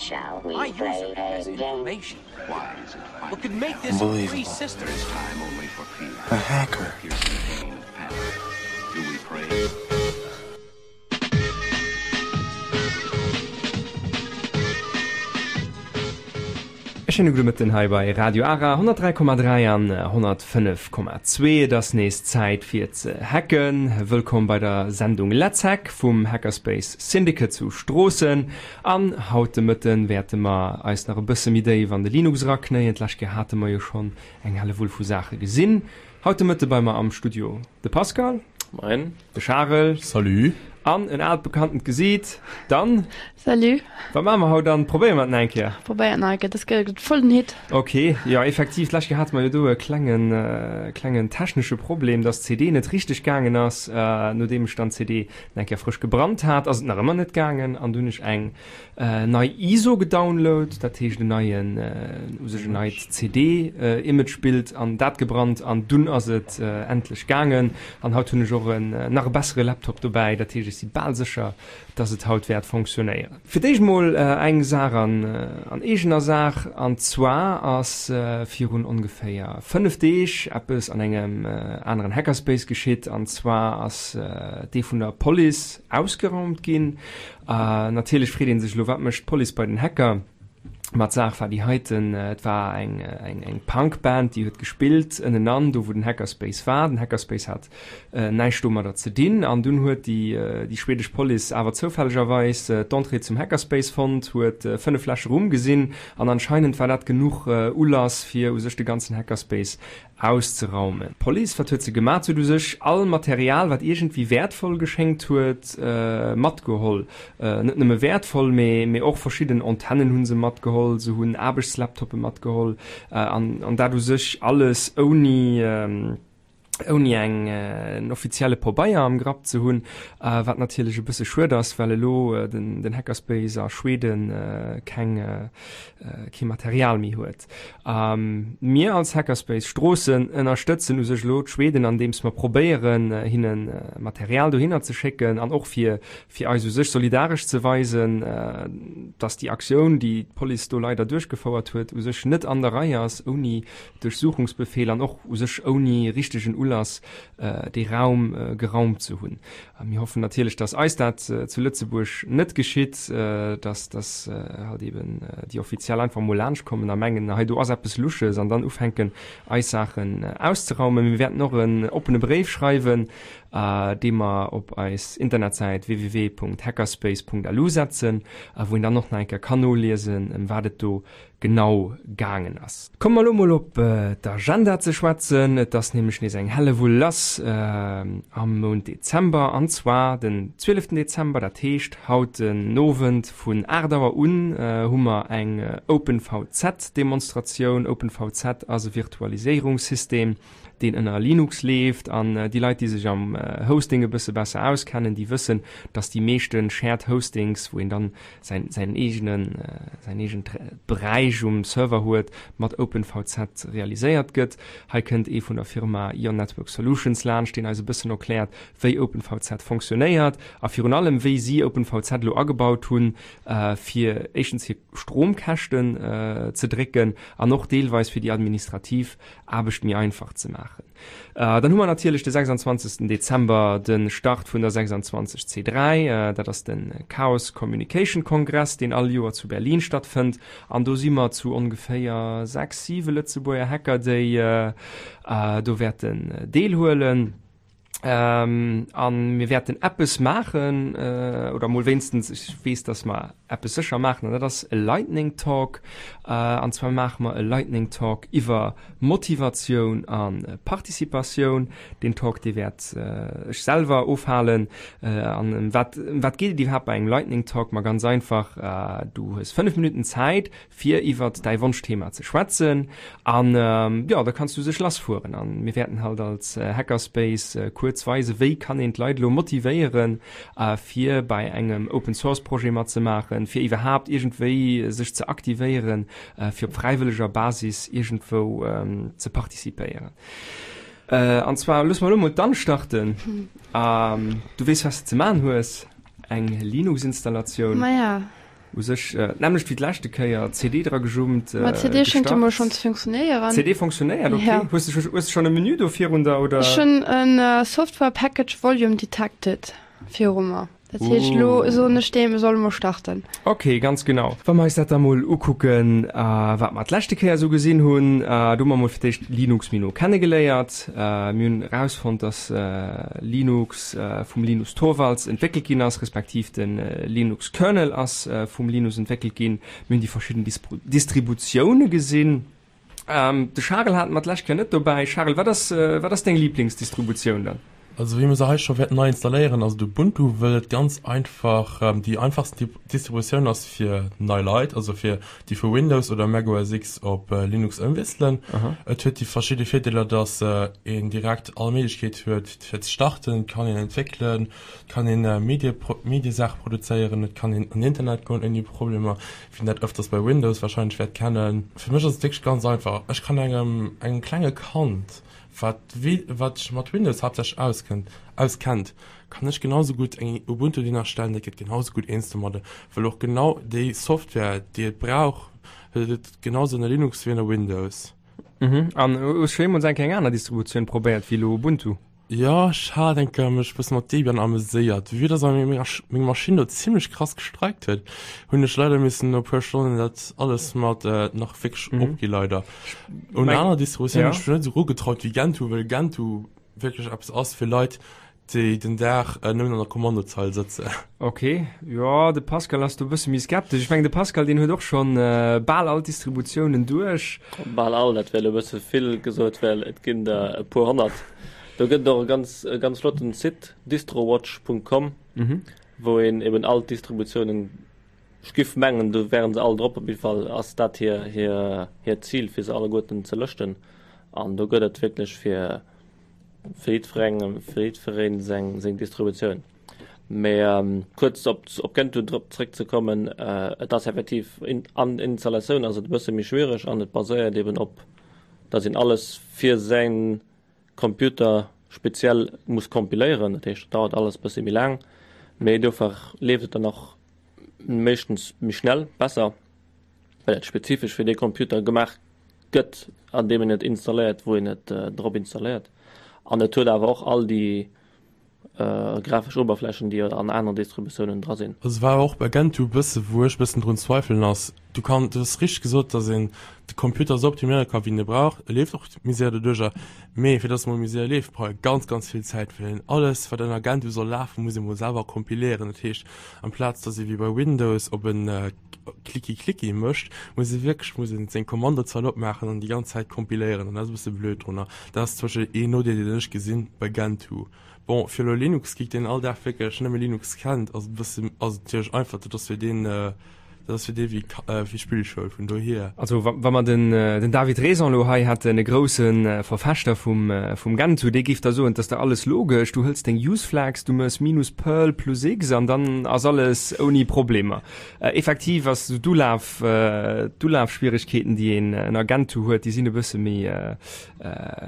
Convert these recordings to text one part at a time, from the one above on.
Shall we My play user has a game? information. What could make this a free Unbelievable. system? There is time only for fear. A hacker. Piercing pain of panic. Do we pray? E schéine gudde Mëtten hei bei Radio Ara 103,3 an 105,2. Et ass nees Zäit fir ze hacken. Wëllkomm bei der Sendung Let's Hack vum Hackerspace Syndicate zu Stroossen. An haut de Mëtten wäerte mer eis nach e bësse méi déif an de Linux eraknéien. D'lescht Kéier hate mer jo schonn eng Hellewull vu Saache gesinn. Haut de Mëtte bei mer am Studio de Pascal. Moien. De Charel. Salut. An en aalt bekanntent Gesiit, d'Anne. Salut. Wat maache mer haut, Anne? Probéiere mer et nach eng Kéier? Probéier et nach eng Kéier, dës Kéier gëtt et voll den Hit. Ok, jo effektiv, d'lescht Kéier hate mer jo do e klengen, klengen technesche Problem, dass d'CD net richteg gaangen ass. Nodeem ech dann d'CD nach eng Kéier frësch gebrannt hat, ass et nach ëmmer net gaangen an du hunn ech eng Nei ISO gedownload, dat heescht en neien, u sech en neit CD-Imagebild an dat gebrannt an dunn ass et endlech gaangen. An haut hunn ech och en nach e bessere Laptop dobäi, dat heescht ech si bal sécher, dass et haut wäert fonctionnéieren. Fir d'éischt mol eng Saach an an eegener Saach, an zwar ass virun ongeféier 5 Deeg eppes an engem aneren Hackerspace geschitt, an zwar ass dee vun der Police ausgeraumt ginn. Natierlech freet ee sech elo, wat mécht d'Police bei den Hacker? Ma d'Saach war déi heiten, Et war eng eng Punk-Band, déi huet gespillt ënnenan, do wou den Hackerspace war. Den Hackerspace hat näischt domadder ze dinn. An dunn huet déi déi schwedesch Police awer zoufällegerweis d'Entrée zum Hackerspace fonnt, huet 5 Fläsche Rum gesinn an anscheinend war dat genuch Ulass, fir u sech de ganzen Hackerspace Auszeraumen. D'Police, wat huet se gemat? Se huet u sech all Material, wat iergendwéi wäertvoll geschéngt huet, matgeholl. Net nëmme wäertvoll, mee mee och verschidden Antennen hu se matgeholl, se hunn Aarbechtslaptoppe matgeholl an an dat u sech alles ouni ouni eng en offizielle Pobeier am Grapp ze hunn, wat natierlech e bësse schued ass, well elo den den Hackerspace a Schweden keng kee Material méi huet. Mir als Hackerspace Stroossen ënnerstëtzen u sech elo d'Schweden andeems mer probéieren hinne Material dohinner ze schécken an och fir fir eis u sech solidaresch ze weisen, dass déi Aktioun déi d'Police do leider duerchgefouert huet u sech net an der Rei ass, ouni Duerchsuchungsbefeel an och u sech ouni richtegen Ulass dee Raum geraumt ze hunn. Mir hoffen natierlech, dass eis dat zu Lëtzebuerg net geschitt, dass dass halt eben déi Offiziell einfach emol laanscht kommen a mengen, hei do ass eppes Lusches an dann ufänken eis Saachen auszeraumen. Mir wäerten och en oppene Bréif schreiwen, dee mer op eis Internetsäit www.hackerspace.lu setzen, wou een dann och nach eng Kéier kann noliesen, ëm wat et do genau gaangen ass. Komme mer elo mol op d'Agenda ze schwätzen. Et ass nämlech nees eng Hellewull lass am Mount Dezember, an zwar den 12 Dezember, dat heescht haut den Owend vun 8 Auer un hu mer eng OpenVZ-Demonstratioun. OpenVZ ass e Virtualiséierungssystem, deen ënner Linux leeft an déi Leit, déi sech am Hosting e bësse besser auskennen, déi wëssen, dass déi meeschte Shared Hostings, wou een dann säin, säin eegenen, säin eegent Beräich um Server huet, mat OpenVZ realiséiert gëtt. Hei kënnt ee vun der Firma Ion Network Solutions laanscht, deen eis e bëssen erkläert, wéi OpenVZ fonctionnéiert a virun allem, wéi si OpenVZ elo agebaut hunn, fir éischtens hir Stromkäschten ze drécken an och deelweis fir déi administrativ Aarbecht méi einfach ze maachen. Dann hu mer natierlech de 26 Dezember de Start vun der 26 C3. Dat ass de Chaos Communication Kongress, deen all Joer zu Berlin stattfënnt. An do si mer zu ongeféier 6, 7 Lëtzebuerger Hacker, déi do wäerten deelhuelen. An mir wäerten eppes maachen, oder mol wéinstens, ech weess, dass mer eppes sécher maachen, an dat ass e Lightning Talk. An zwar maache mer e Lightning Talk iwwer Motivatioun a Participatioun. Deen Talk, dee wäert ech selwer ofhalen. An ëm wat, ëm wat geet et iwwerhaapt bei engem Lightning Talk? Ma ganz einfach, du hues 5 Minutten Zäit, fir iwwert däi Wonschthema ze schwätzen an jo, da kanns du sech lassfueren an mir wäerten halt als Hackerspace kuerz weisen, wéi kann een d'Leit elo motivéieren fir bei engem Open Source Projet matzemaachen, fir iwwerhaapt iergendwéi sech ze aktivéieren, fir op fräiwëlleger Basis iergendwou ze participéieren. An zwar loosse mer elo mol d'Anne starten. Du weess wat s de ze man hues, eng Linux-Installatioun. Maja. U sech d'nämmlecht wéi d'leschte Kéier, CD dra gejummt, Ma d'CD schéngt jo mol schonn ze funktionéieren. CD funktionéiert, ok. Ja. Hues de hues de schonn e Menü do virun der, oder? Ech hunn en Software Package Volume Detected viru mer. Dat heescht, elo soen ech deem, e soll emol starten. Ok, ganz genau. Wa mer eis dat da mol ukucken, wat mer d'leschte Kéier esou gesinn hunn, do hu mer mol fir d'éischt Linux méi no kennegeléiert. Mir hunn erausfonnt, dass Linux, vum Linus Torvalds entwéckelt ginn ass, respektiv de Linux Kernel ass vum Linus entwéckelt ginn. Mir hunn déi verschidden Distributioune gesinn. De Charel hate mer d'lescht Kéier net dobäi. Charel, wat ass, wat ass deng Liblingsdistributioun dann? Also wéi mer se hei scho wäerten nei installéieren, ass et Ubuntu, wëll et ganz einfach déi einfachsten Distributioun ass fir nei Leit, also fir déi vu Windows oder Mac OS X op Linux ëmwiesselen. Et huet déi verschidde Virdeeler, dass een direkt all Méiglechkeet huet, Fir ze starten, et kann een entwéckelen, et kann een Medie Mediesaache produzéieren, et kann een an Internet goen ouni Problemer, wien dat ëfters bei Windows warscheinlech wäert kennen. Fir mech ass et wierklech ganz einfach, ech kann engem engem klenge Kand, wat wat sech mat Windows haaptsächlech auskënnt auskennt, kann ech genau sou gutt eng Ubuntu deen erstellen, dat gëtt genau sou gutt eens domadde, well och genau déi Software déi et brauch, huet et genau sou ënner Linux wéi ënner Windows. Mhm. An hues scho jeemools eng Kéier eng aner Distributioun probéiert wéi elo Ubuntu? Jo, ech hat eng Kéier mech bësse mat Debian ameséiert. Vue dass awer meng meng Maschinn do zimmlech krass gestreikt huet, hunn ech leider missen no puer Stonnen dat alles mat nach wierklech opgi leider. Un aner Distributioun hunn ech mech net esou erugetraut wéi Gentoo, well Gentoo wierklech eppes ass fir Leit, déi den Dag nëmmen an der Kommandozeil sëtzen. Ok, jo, de Pascal ass do e bësse méi skeptesch. Ech mengen, de Pascal, deen huet och schonn bal all d'Distributiounen duerch. Bal all, dat wär elo e bësse vill gesot, well et ginn der e puer honnert. Do gëtt et och e ganz, e ganz flotten Site, distrowatch.com, wou een eben all d'Distributiounen, ech giff mengen, do wären se all drop, op jidde Fall ass dat hir, hir, hiert Zil, fir se alleguerten ze lëschten. An do gëtt et wierklech fir Fir jiddwerengem, fir jiddwereen seng, seng Distributioun. Mee kuerz op, op Gentoo drop zréckzekommen, et ass effektiv in, an Installatioun ass et e bësse méi schwiereg an et baséiert eben op, datt een alles fir säin Computer speziell muss kompiléieren. Dat heescht, et dauert alles e bësse méi laang, mee dofir leeft et dann och meeschtens méi schnell, besser, well et spezifesch fir dee Computer gemaach gëtt, an deem een et installéiert, wou een et drop installéiert. An et huet awer och all déi grafesch Oberflächen, déi an aneren Distributiounen dra sinn. Also war och bei Gentoo e bësse wou ech e bëssen drun zweifelen ass, du kann, du hues richteg gesot, datt een de Computer esou optiméiere ka wéi en e brauch, e leeft och méi séier doduercher, mee fir datt e mol méi séier leeft brauch e ganz ganz vill Zäit, well een alles wat ënner Gentoo soll lafen, muss ee mol selwer kompiléieren. Dat heescht amplaz datt ee wéi bei Windows op en Klicki Klicki mécht, muss ee wierklech muss een seng Kommandozeil opmaachen an déi ganz Zäit kompiléieren an dat ass e bësse blöd drunner. Dat ass zum Beispill een Nodeel deen ech gesinn bei Gentoo. Bon fir elo Linux-Geek deen all Dag wierklech nëmme Linux kennt ass et e bësse ass et natierlech einfach, dat ass fir deen dat ass fir dee wéi wéi Spillschoul vun dohier. Also wa wa mer den den David Raison elo hei hätten, e grousse Verfechter vum vum Gentoo, dee géif da soen, 't ass da alles logesch, du hëls deng Use Flags, du méchs minus Perl plus x an dann ass alles ouni Problemer. Effektiv ass esou d'Ulaf, d'Ulafschwieregkeeten, déi een ënner Gentoo huet, déi sinn e bësse méi,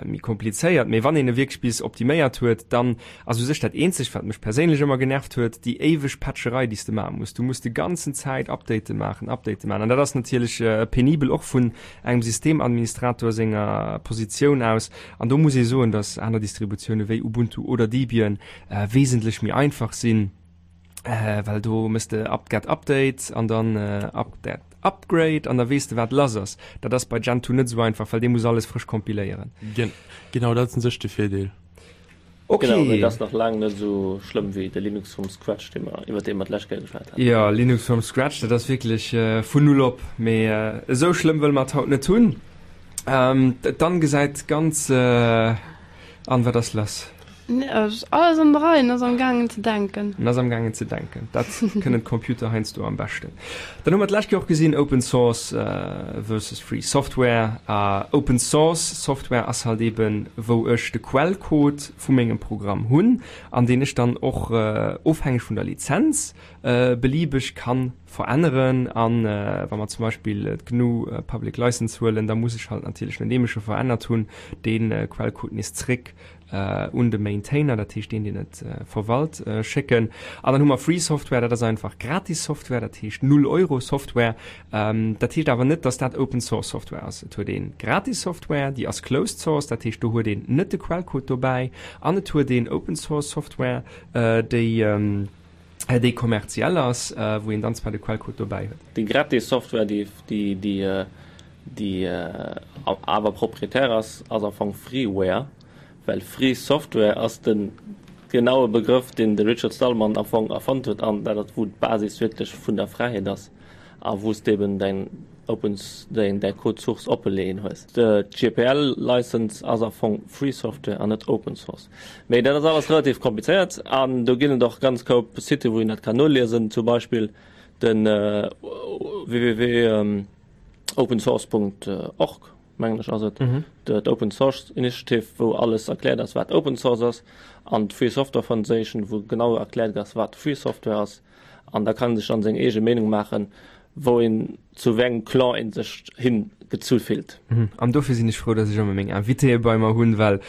méi komplizéiert. Mee wann een e wierklech bis optiméiert huet, dann ass u sech dat eenzegt, wat mech perséinlech ëmmer genervt huet, déi éiweg Patcherei, déi s de maache muss. Du muss de ganzen Zäit Update maachen, Update maachen. An dat ass natierlech penibel, och vun engem Systemadministrator senger Positioun aus. An do muss ee soen, datt aner Distributioune wéi Ubuntu oder Debian wesentlech méi einfach sinn. Äh, well do mëss de apt-get update an dann äh, apt-get upgrade an da weess de wat lass ass. Dat ass bei Gentoo net esou einfach, well dee muss alles frësch kompiléieren. Gen genau dat ass un sech de Virdeel. Okay. Genau, mee dat ass nach laang net esou schlëmm wéi de Linux from Scratch, dee mer, iwwer dee mer d'lescht Kéier geschwat haten. Jo, Linux from Scratch, dat ass wierklech äh, vun null op. Mee äh, esou schlëmm wëlle mer et haut net hunn. Ähm, dann gesäit ganz äh, an, wat ass lass? Nee, ass alles an der Rei, en ass am gaangen ze denken. En ass am gaangen ze denken. Dat kënnen d'Computer heiansdo am beschten. Dann hu mer d'lescht Kéier och gesinn, Open Source versus Free Software. Open Source Software ass halt eben, wou ech de Quellcode vu mengem Programm hunn an deen ech dann och ofhängeg vun der Lizenz beliebeg kann veränneren. An wa mer zum Beispill d'GNU Public License huelen, da muss ech halt natierlech, nodeem ech e verännert hunn, dee Quellcode nees zréck. un de Maintainer, dat heescht deen, deen et verwalt, schécken. An dann hu mer Free Software, dat ass einfach gratis Software, dat heescht null Euro Software. Dat heescht awer net, dass dat Open Source Software ass. Et huet ee gratis Software, déi ass Closed Source, dat heescht do huet een net de Quellcode dobäi. An et huet een Open Source Software, déi déi kommerziell ass, wou een dann zwar de Quellcode dobäi huet. Déi gratis Software, déi déi déi awer proprietär ass, ass am Fong Freeware, well Free Software ass de genaue Begrëff, deen de Richard Stallman am Fong erfonnt huet an dat ass wou d'Basis wierklech vun der Fräiheet ass a wou s de eben däin Open däin däi Code Source oppe leeën hues. D'GPL License ass am Fong Free Software an net Open Source. Mee dat ass alles relativ komplizéiert an do ginn et och ganz Koup Siten, wou een dat kann noliesen, zum Beispill den www.opensource.org, mengen ech ass et, d'Open Source Initiative, wou alles erkläert ass, wat Open Source ass, an d'Free Software Foundation, wou genau erkläert ass, wat Free Software ass. An da kann ee sech dann seng eege Meenung maachen, wou een, zu wéi engem Clan een sech hin gezu fillt. An dofir sinn ech frou, dass ech ëmmer meng Invitéë bei mer hunn, well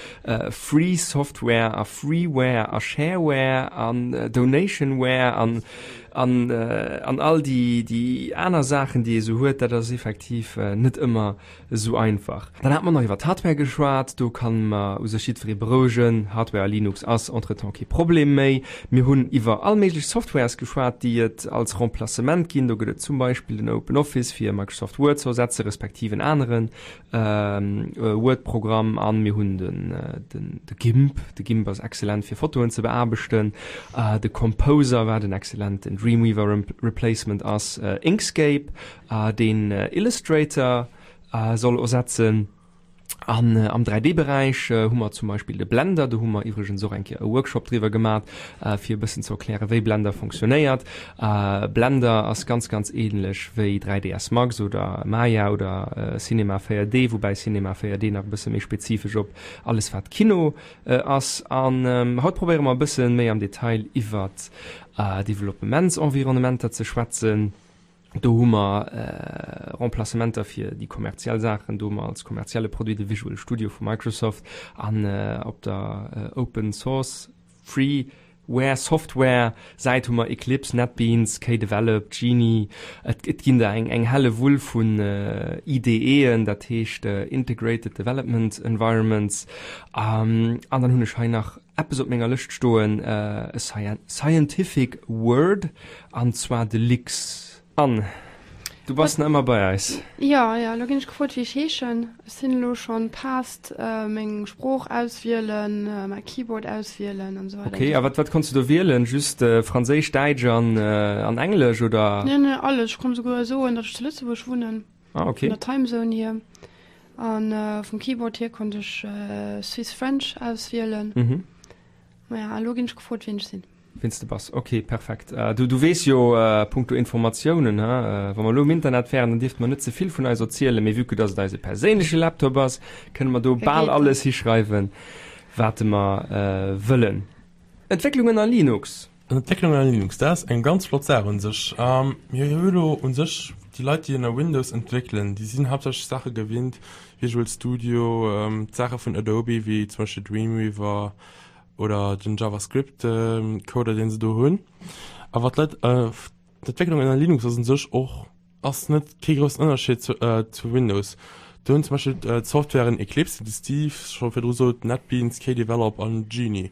Free Software a Freeware a Shareware an Donationware an an an all déi déi aner Saachen, déi ee sou huet, dat ass effektiv net ëmmer Esou einfach. Dann hate mer nach iwwer d'Hardware geschwat. Do kann mer u sech jiddweree berouegen, Hardware a Linux ass entretemps kee Problem méi. Mir hunn iwwer all méiglech Softwares geschwat, déi et als Remplacement ginn. Do gëtt et zum Beispill den OpenOffice fir Microsoft Word ze ersetze respektiv en anere Word-Programm. An mir hunn den de GIMP. De GIMP ass excellent fir Fotoen ze beaarbechten. De Composer, wat en excellenten Dreamweaver Replacement ass. Inkscape deen Illustrator soll ersetzen. An am 3D-Beräich hu mer zum Beispill de Blender, do hu mer iwwregens och eng Kéier e Workshop driwwer gemat, fir e bëssen ze erklären, wéi Blender fonctionnéiert. Blender ass ganz, ganz ähnlech wéi 3ds Max oder Maya oder Cinema 4D, woubäi Cinema 4D nach e bësse méi spezifesch op alles wat Kino ass. An haut probéiere mer e bësse méi am Detail iwwert Developpementsenvironnementer ze schwätzen. Do hu mer Remplacementer fir déi kommerziell Saachen. Do hu mer als kommerzielle Produit de Visual Studio vu Microsoft an op der Open Source Freeware Software Säit hu mer Eclipse, NetBeans, KDevelop, Geany. Et ginn der eng helle Wull vun IDEen, dat heescht Integrated Development Environments. An dann hunn ech hei nach eppes op menger Lëscht stoen, e Scientific Word, an zwar de Lix. Anne, du bass nach ëmmer bei eis. Jo, jo, elo ginn ech gefrot, wéi ech heeschen. Ech sinn elo schonn past meng Sprooch auswielen, mäi Keyboard auswielen an esou weider. Ok, a wat, wat konns du do wielen? Just Franséisch, Däitsch an, an Englesch, oder? Nee, nee, alles. Ech konnt esouguer soen, datt ech zu Lëtzebuerg wunnen. Ah, ok. Vun der Timezone hier. An vum Keyboard hier konnt ech Swiss French auswielen. Mhm. Maja, elo ginn ech gefrot, wien ech sinn. Wien s de bass. Ok, perfekt. Du, du weess jo punkto Informatiounen, he, wa mer elo um Internet wären, dann dierfte mer net ze vill vun eis erzielen, mee vue que dass et eise perséinleche Laptop ass, kënne mer do bal alles hischreiwen, wat mer wëllen. Entwécklungen a Linux. Entwécklung ënner Linux, dat ass eng ganz flott Saach un sech. Mir hu elo un sech déi Leit, déi ënner Windows entwéckelen, déi sinn haaptsächlech Saache gewinnt, Visual Studio, d'Saache vun Adobe wéi zum Beispill Dreamweaver oder den JavaScript Coder, deen se do hunn. Awer d'Leit, d'Entwécklung ënner Linux ass un sech och Ass net kee groussen Ënnerscheed zu zu Windows. Do hunn zum Beispill d'Softwaren Eclipse, déi de Steve scho virdru sot, NetBeans, KDevelop an Geany.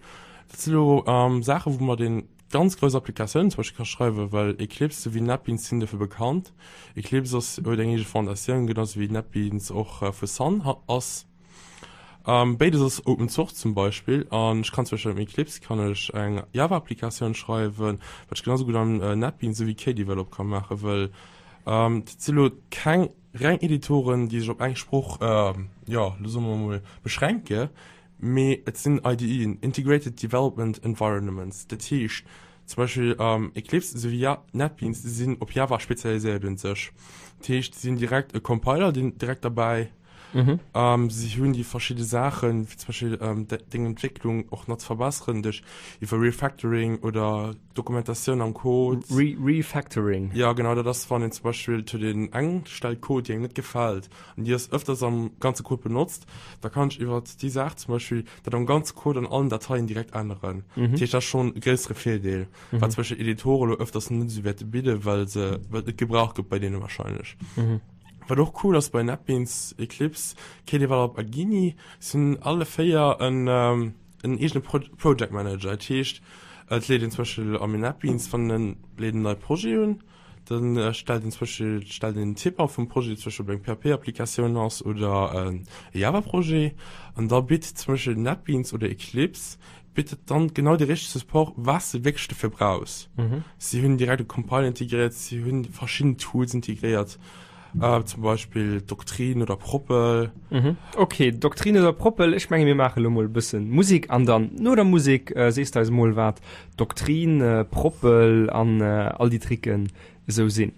Dat si lo Saachen, wou mat een ganz grouss Applikatiounen zum Beispill ka schreiwen, well Eclipse souwéi NetBeans sinn dofir bekannt. Eclipse ass huet eng eege Fondatioun, genau sou wéi NetBeans och vu Sun ass. Béides ass Open Source zum Beispill an ech kann zum Beispill am Eclipse kann ech eng Java Applikatioun schreiwen, wat ech genau sou gutt am NetBeans souwéi KDevelop ka maachen, wëll dat si lo keng reng Editoren, déi sech op eng Sprooch, jo lo soe mer emol, beschränke, mee et sinn IDEen, Integrated Development Environnements, dat heescht zum Beispill Eclipse souwéi NetBeans sinn op Java spezialiséiert un sech, dat heescht si sinn direkt e Compiler deen direkt derbäi. Si hunn déi verschidde Saachen, wéi zum Beispill deng Entwécklung och nach ze verbesseren duerch iwwer Refactoring oder Dokumentatioun am Code. Re Refactoring? Jo, genau, dat ass, wann een zum Beispill, et huet een eng Stell Code, déi engem net gefält an déi ass ëfters am ganze Code benotzt, da kann ech iwwer déi Saach zum Beispill dat am ganze Code an allen Dateien direkt änneren. Dat heescht, dat ass schonn e gréissere Virdeel, wat zum Beispill Editore elo ëfters net esou wäerte bidden, well se, well et net gebraucht gëtt bei deene wahrscheinlech. Wat och cool ass bei NetBeans, Eclipse, KDevelop a Geany, si hunn alle 4 en en eegene Project Manager. Dat heescht, et leet een zum Beispill am NetBeans, wann en leet en neie Projet un, dann stellt een zum Beispill stellt een den Typ a vum Projet, zum Beispill ob eng PHP-Applikatioun ass oder e Java-Projet, an da bitt zum Beispill NetBeans oder Eclipse bittet dann genau de richtege Support, was de wierklech dofir brauchs. Si hunn direkt e Compiler integréiert, si hunn verschidden Tools integréiert, zum Beispill Doctrine oder Propel. Ok, Doctrine oder Propel, ech menge mir maache lo mol e bëssen Musek an dann no der Musek sees de eis mol wat Doctrine, Propel an all déi Tricken esou sinn.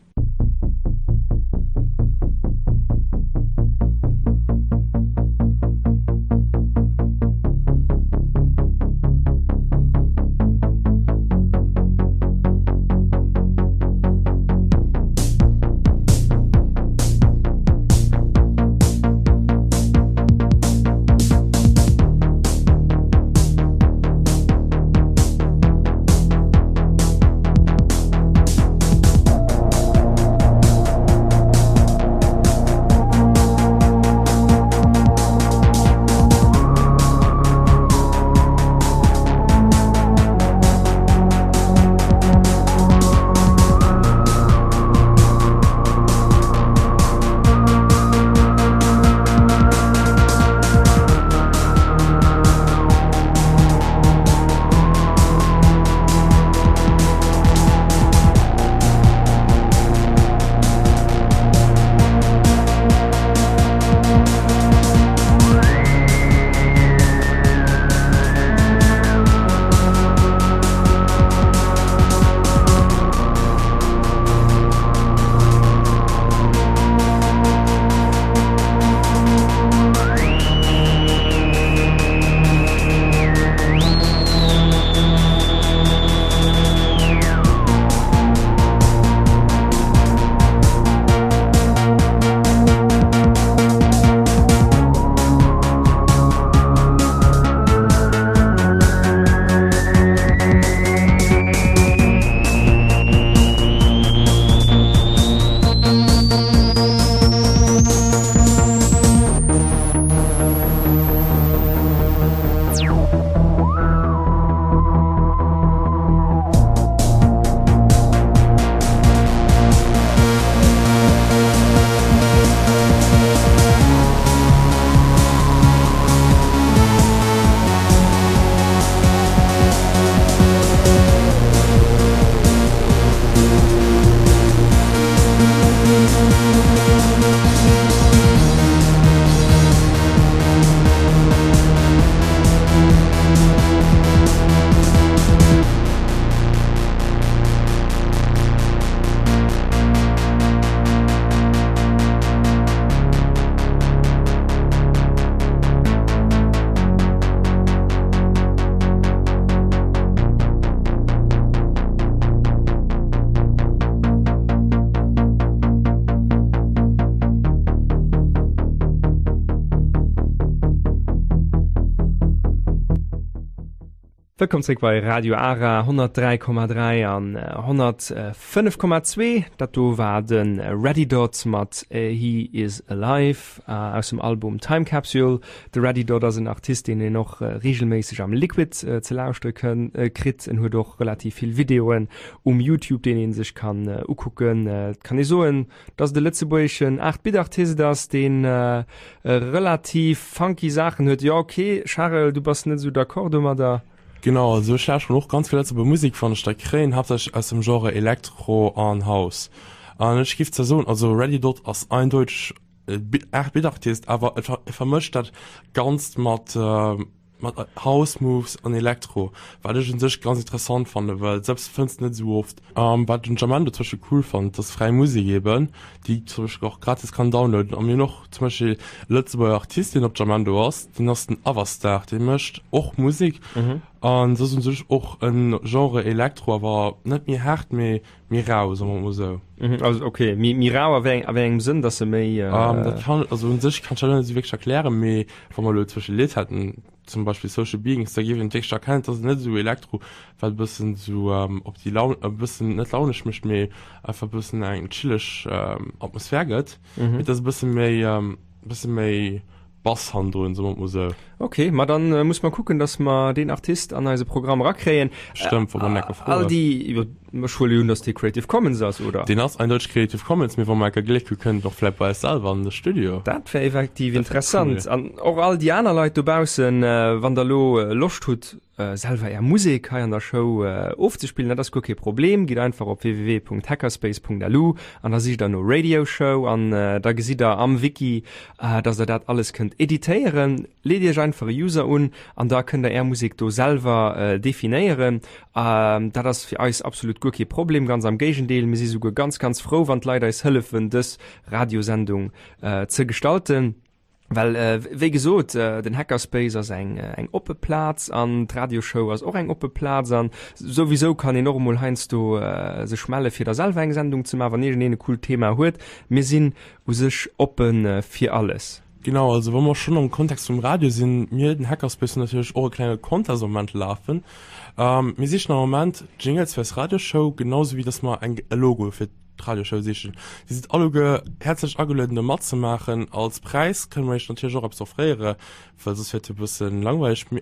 Wëllkomm zréck bei Radio Ara 103,3 an 105,2. Dat do war de Ready Dot mat He Is Alive aus dem Album Time Capsule. De Ready Dot ass en Artist, deen een och reegelméisseg am Liquid ze lauschtere kënn kritt. En huet och relativ vill Videoen um Youtube, deen ee sech kann ukucken. Et kann ee soen, dass et e lëtzebuergeschen 8 Bit Artist ass, deen relativ funky Saachen huet. Jo ok Charel, du bass net esou d'accord domadder? Genau, also ech lauschteren och ganz vill lëtzebuerger Musek wann ech der kréien, haaptsächlech aus dem Genre Elektro an House. An ech giff zwar soen, also Ready Dot ass eindeuteg e 8 Bit Artist, awer e vermëscht dat Ganzt mat. mat House Moves an Elektro, wat ech un sech ganz interessant fannen, well selbst fënns de net esou oft. Wat ech un Jamendo zum Beispill cool fannen, dat ass fräi Musek eben, déi zum Beispill och gratis kann downloaden. A mir hunn och zum Beispill e Lëtzebuerger Artist, deen op Jamendo ass, deen ass den Avastar, dee mécht och Musek an dat ass un sech och e Genre Elektro, awer net méi haart, mee méi rau, soe mer mol esou. Also okay, méi, méi rau a wéi, a wéi engem Sënn, dass se méi. Dat kann, also un sech kann ech dat net esou wierklech erklären, mee wa mer elo zum Beispill e Lidd hätten, zum Beispill Social Beings, da géif een wierklech erkennen, dass et net esou Elektro, wat e bëssen esou op déi Laun, e bëssen net launesch mécht, mee einfach e bëssen eng chilleg Atmosphär gëtt. Mee et ass e bësse méi, e bësse méi Bass hannendrun, soe mer et mol esou. Ok, ma dann muss mer kucken, dass mer deen Artist an eise Programm erakréien. Stëmmt, wa mer enke froen. All déi, jo, ech huele jo un, dass dee Creative Commons ass, oder? Deen ass eindeuteg Creative Commons, mee wa mer enke Gléck hu kënnt en och vläit bei eis selwer an de Studio. Dat wär effektiv interessant. An och all déi aner Leit dobaussen, wann der elo Loscht hutt, selwer är Musek hei an der Show ofzespillen, dat ass guer kee Problem. Gitt einfach op www.hackerspace.lu an da sicht der no Radio Show an da gesitt der am Wiki, dass der dat alles kënnt editéieren. Leet iech einfach e User un an da kënnt der är Musek do selwer definéieren. Dat ass fir eis absolut guer kee Problem, ganz am Géigendeel, mir si souguer ganz, ganz frou, wann d'Leit eis hëllefen, dës Radiosendung ze gestalten. Well wéi gesot, den Hackerspace ass eng eng oppe Plaz an d'Radioshow ass och eng oppe Plaz an souwisou kann een och emol heiansdo sech melle fir da selwer eng Sendung ze maachen, wann iergendeen e coolt Thema huet. Mir sinn u sech oppe fir alles. Genau, also wa mer schonn am Kontext vum Radio sinn, mir, den Hackerspace, hunn natierlech och e klenge Contest am Moment lafen. Mir sichen am Moment Jingles fir eis Radioshow, genau sou wéi dass mer eng e Logo fir d'Radioshow sichen. Dir sidd alleguer häerzlech agelueden do matzemaachen. Als Präis kënne mer iech natierlech och eppes offréiere, well soss wier et jo e bëssen langweileg.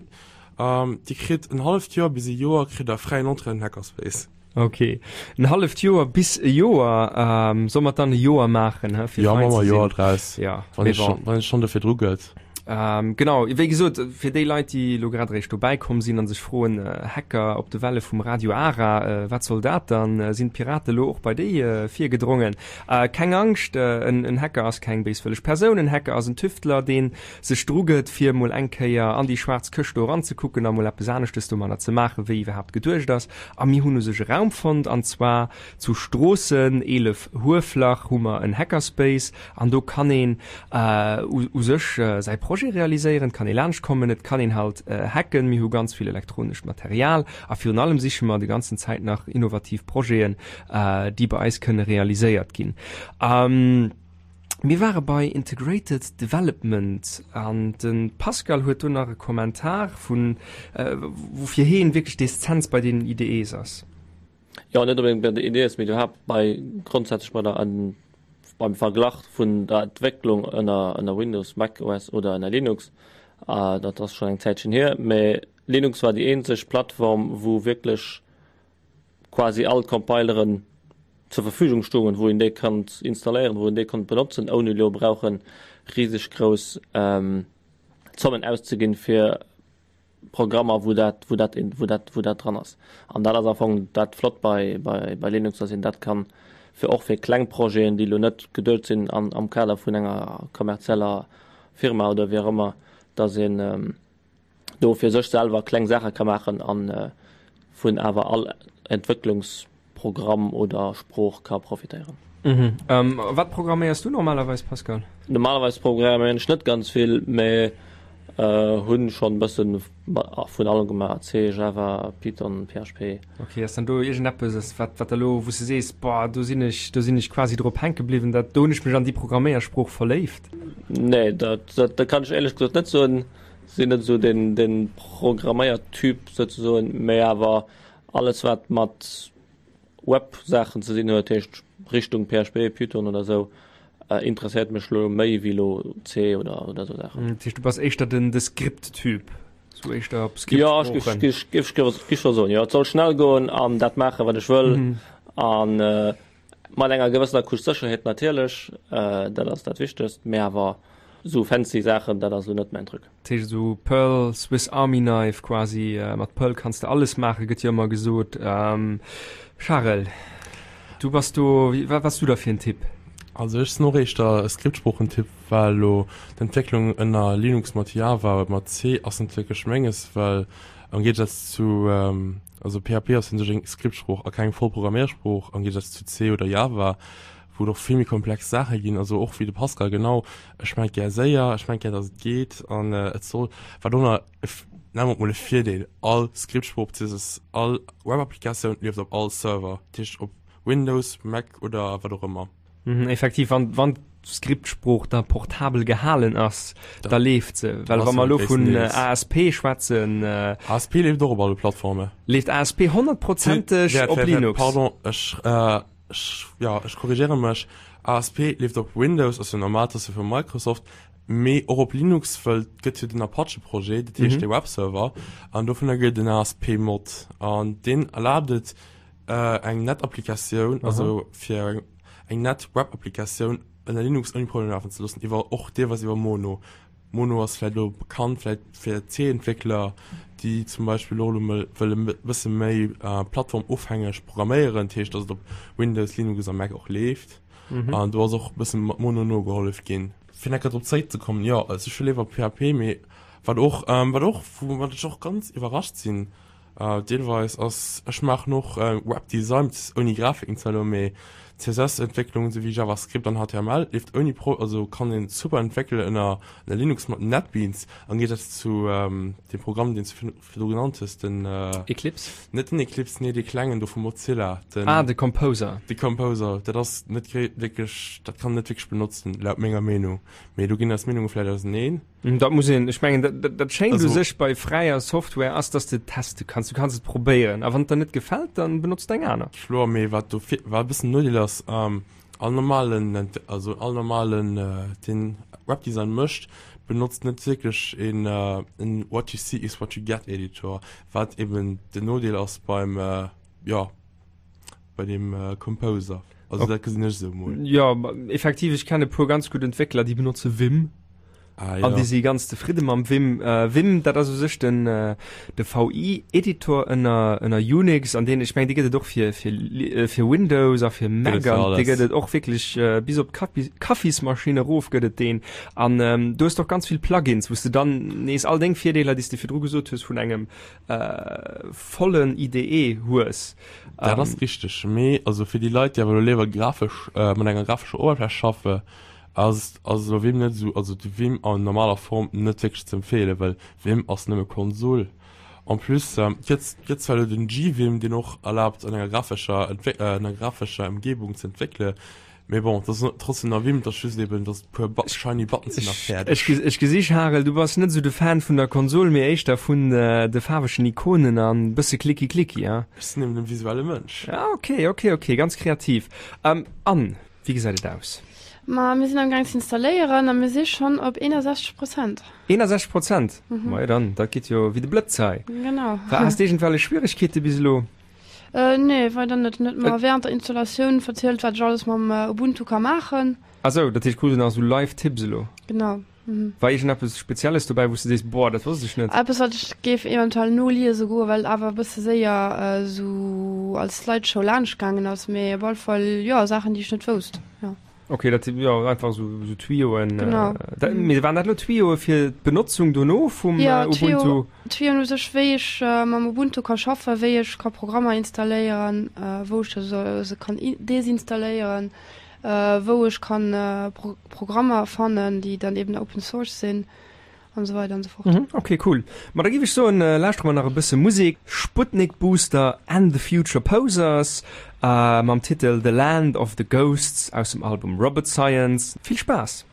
Dir kritt en halleft Joer bis e Joer kritt der fräien Entrée an den Hackerspace. Ok, en halleft Joer bis e Joer. Solle mer et dann e Joer maachen, he, fir Jo, fein maache mer e Joer draus, Ja, wann ee schonn, wann ee schonn dofir dru gëtt. Genau, wéi gesot, fir déi Leit, déi elo grad eréischt dobäi komm sinn a sech froen, Hacker op de Welle vum Radio Ara, wat soll dat dann? Sinn d'Pirate elo och bei déi virgedrongen? Keng Angscht, en Hacker ass keng béiswëlleg Persoun, en Hacker ass en Tüftler, dee sech drugëtt, fir emol eng Kéier an déi schwaarz Këscht do eranzekucken a mol eppes aneschtes domadder ze maachen, wéi iwwerhaapt geduecht ass. A mir hunn u sech e Raum fonnt, an zwar zu Stroossen, 11 Hueflach, hu mer en Hackerspace an do kann een u sech säi Projet realiséieren, et kann ee laanscht kommen, et kann een halt hacken. Mir hu ganz vill elektronescht Material a virun allem siche mer déi ganzen Zäit nach innovativ Projeten, déi bei eis kënne realiséiert ginn. Mir ware bei Integrated Development an de Pascal huet do nach e Kommentar vun, woufir heen wierklech d'Essenz bei deenen IDEs ass. Jo, net onbedéngt bei den IDEs, mee iwwerhaapt bei grondsätzlech bei der beim Verglach vun der Entwécklung ënner ënner Windows, Mac OS oder ënner Linux. Dat ass schonn eng Zäitchen hier, mee Linux war déi eenzeg Plattform, wou wierklech quasi all d'Compileren zur Verfügung stoungen, wou een déi konnt installéieren, wou een déi konnt benotzen, ouni elo brauche riseg grouss Zommen auszeginn, fir Programmer, wou dat, wou dat, wou dat, wou dat dran ass. An dat ass am Fong dat Flott bei, bei, bei Linux, dass een dat kann fir och fir kleng Projeten, déi elo net geduecht sinn an, am Kader vun enger kommerzieller Firma oder wéi och ëmmer, dass een do fir sech selwer kleng Saache ka maachen a vun awer all Entwécklungs Programm oder Sprooch ka profitéieren. Mhm. Wat programméiers du normalerweis, Pascal? Normalerweis programméieren ech net ganz vill, mee hunn schonn bëssen vun allem gemaach, C, Java, Python, PHP. Ok, ass dann do iergendeppes, wat wat elo wou s de sees, boah do sinn ech do sinn ech quasi drop hänke bliwwen, dat do hunn ech mech an déi Programméiersprooch verléift? Nee, dat dat kann ech éierlech gesot net soen. Sinn net esou den den Programméiertyp souzesoen, mee awer Alles wat mat Web-Saachen ze dinn huet, heescht Richtung PHP, Python oder sou, interesséiert mech lo méi wéi lo C oder oder sou Saachen. Dat heescht du bass éischter den de Script-Typ, sou éischter op Script-Sproochen? Jo, ech géif géif scho soen, jo. Et soll schnell goen an dat maachen wat ech wëll an mat enger gewëssener Couche Sécherheet natierlech, dat ass dat Wichtegst, mee awer sou fancy Saachen, dat ass lo net mäin Truc. Dat heescht esou Perl, Swiss Army Knife quasi, mat Perl kanns de alles maachen, gëtt jo ëmmer gesot. Charel, du bass do, wat bass du da fir en Typ? Also ech sinn och éischter e Skriptsproochen-Typ, well elo d'Entwécklung ënner Linux mat Java oder mat C ass net wierklech menges, well am Géigesaz zu, also PHP ass un sech eng Skriptsprooch a keng voll Programméiersprooch, am Géigesaz zu C oder Java, wou et och vill méi komplex Saache ginn, also och wéi de Pascal, genau, ech maachen et gär séier, ech maachen et gär, datt et geet an et soll, wat och nach, nennen mer et mol e Virdeel, all Skriptsprooch beziehungsweise all Webapplikatioun leeft op all Server, dat heescht op Windows, Mac oder wat och ëmmer. Mhm, effektiv, wann, wann d'Skriptsprooch da portabel gehalen ass, da, da leeft se. Well wa mer elo vun ASP schwätzen. Äh, ASP leeft och op alle Plattformen. Leeft ASP honnertprozenteg op Linux? Pardon, ech, äh, ech, ja, ech korrigéiere mech. ASP leeft op Windows, ass jo normal, dat ass jo vu Microsoft, mee och op Linux, wëll et gëtt jo den Apache-Projet, dat heescht mhm. de Webserver, an dovunner gëtt den ASP-Mod. An deen erlaabt et, Eng nett Applikatioun, also fir eng nett Web-Applikatioun ënner Linux ouni Problem lafen ze loossen, iwwer och deelweis iwwer Mono. Mono ass vläit elo bekannt vläit fir C-Entwéckler, déi zum Beispill och elo mol wëlle e bësse méi plattformofhängeg programméieren, dat heescht, datt et op Windows, Linux a Mac och leeft. An do ass och e bësse mat Mono nogehollef ginn. Fir nach drop zeréckzekommen, jo, also ech hu léiwer PHP, mee wat och, wat och, woumat ech och ganz iwwerrascht sinn, Deelweis ass, ech maachen och Webdesign ouni Grafiken zwar elo, mee CSS Entwécklung esou wéi JavaScript an HTML leeft ouni Pro, also kann een super entwéckelen ënner ënner Linux mat NetBeans am Géigesaz zu deem Programm deen s du virdru genannt hues, den Eclipse? Net den Eclipse, nee dee klengen do vu Mozilla, den Ah, de Composer. De Composer, dat ass net wierklech, dat kann een net wierklech benotzen laut menger Meenung, mee do ginn eis Meenunge vläicht auseneen. Dat muss een, ech mengen, dat, dat, dat schéint u sech bei fräier Software ass, dass de teste kanns. Du kanns et probéieren a wann et der net gefält, dann benotz de eng aner. Kloer, mee wat do fir, wat e bëssen Nodeel ass, all normalen, also all normalen, deen Webdesign mécht, benotzt net wierklech een, en What you see is what you get Editor, wat eben den Nodeel ass beim, jo. Bei dem äh, Composer. Also dat gesinn ech esou mol. Ja, effektiv, ech kenne puer ganz gutt Entwéckler, déi benotze Vim. Ah, ja. An déi si ganz zefridde mam Vim. Äh, Vim, dat ass u sech den, äh, de VI-Editor ënner, ënner Unix, an deen, ech meng, dee gëtt et och fir, fir, äh, fir Windows a fir Mac an dee gëtt et och wierklech äh, bis op d'Kaffismaschinn erof gëtt et deen. An ähm, du hues och ganz vill Plugins, wou s de dann nees all deng Virdeeler, déi s de virdru gesot hues, vun engem äh, vollen IDE hues. Dat ass richteg, mee also fir déi Leit, déi awer elo léiwer grafesch mat enger grafescher Oberfläch schaffe, ass ass elo Vim net esou, also de Vim an normaler Form net wierklech ze empfeelen, well Vim ass nëmme Konsol. En plus gëtt gëtt zwar elo den gVim, deen och erlaabt an enger grafescher Entwéck an enger grafescher Emgebung ze entwéckele, Mee bon, et ass trotzdem nach Vim, et ass just eben, dass et puer shiny Buttons sinn a fäerdeg. Ech gesi Charel, du bass net esou de Fan vun der Konsol, mee éischter vun de faarwegen Ikonen an bësse Klicki Klicki, ha? Ech sinn eben e visuelle Mënsch. Ah ok, ok, ok, ganz kreativ. An wéi gesäit et aus? Ma mir sinn am gaang z'installéieren a mir si schonn op 61 Prozent. 61 Prozent? Majo dann, dat geet jo wéi de Blëtz hei. Genau. Has de iergendwellech Schwieregkeete bis elo? Äh, nee, weider net. En huet mer während der Installatioun verzielt, wat ech alles mam Ubuntu ka maachen. Ah sou, dat heescht krus du nach sou live Tipps elo? Genau, mhm. War iergendeppes Spezielles dobäi, wou s du sees, boah, dat wosst ech net? Eppes, wat ech géif eventuell noliese goen, well et awer e bësse séier sou als Slideshow laanscht gaangen ass, mee op alle Fall, jo, Saachen, déi ech net wousst, jo. Ok, dat si jo einfach sou, sou Tuyauxen. Genau. Dat, mee waren dat elo Tuyauxe fir d'Benotzung dono vum Ja, Ubuntu? Tuyauxen u sech, wéi ech mam Ubuntu ka schaffen, wéi ech ka Programmer installéieren, wou ech se, se kann desinstalléieren, wou ech kann Programmer fannen, déi dann eben Open Source sinn. An esou weider an esou fort. Mhm, ok, cool. Ma da giff ech soen, lauschtere mer nach e bësse Musek. Sputnik Booster and the Future Posers mam Titel The Land of the Ghosts aus dem Album Robot Science. Vill Spaass!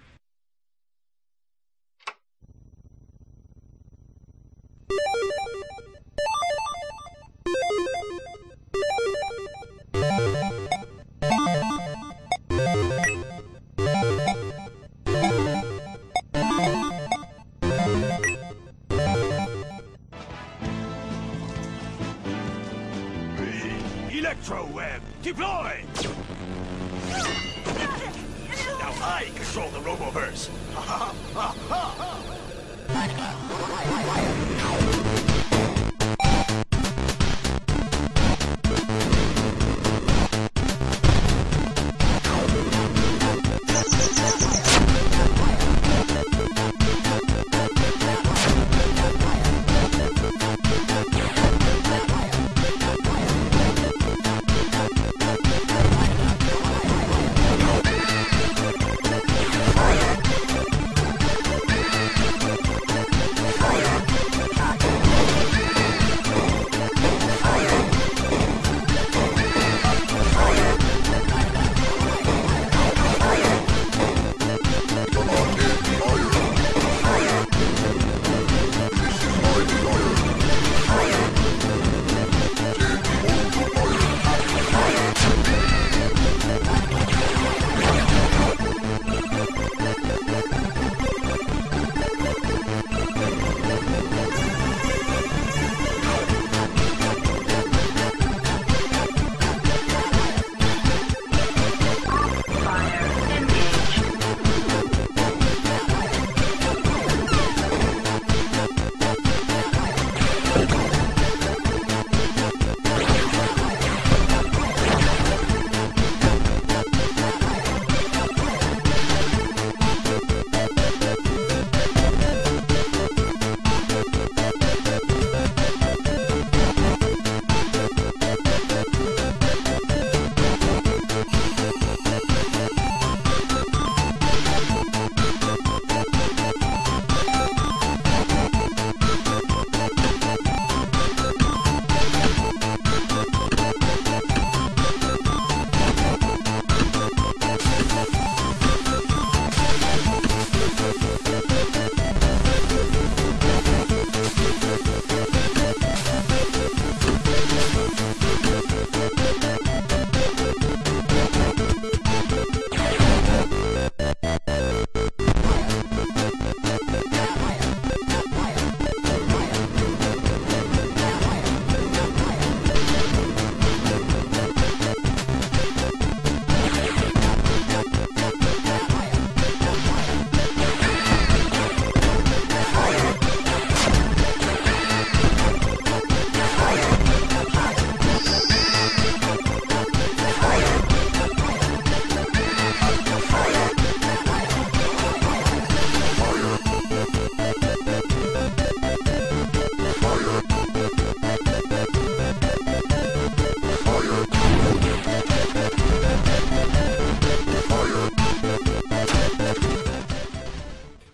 Electroweb, deploy! Now I control the Roboverse. Ha ha ha ha!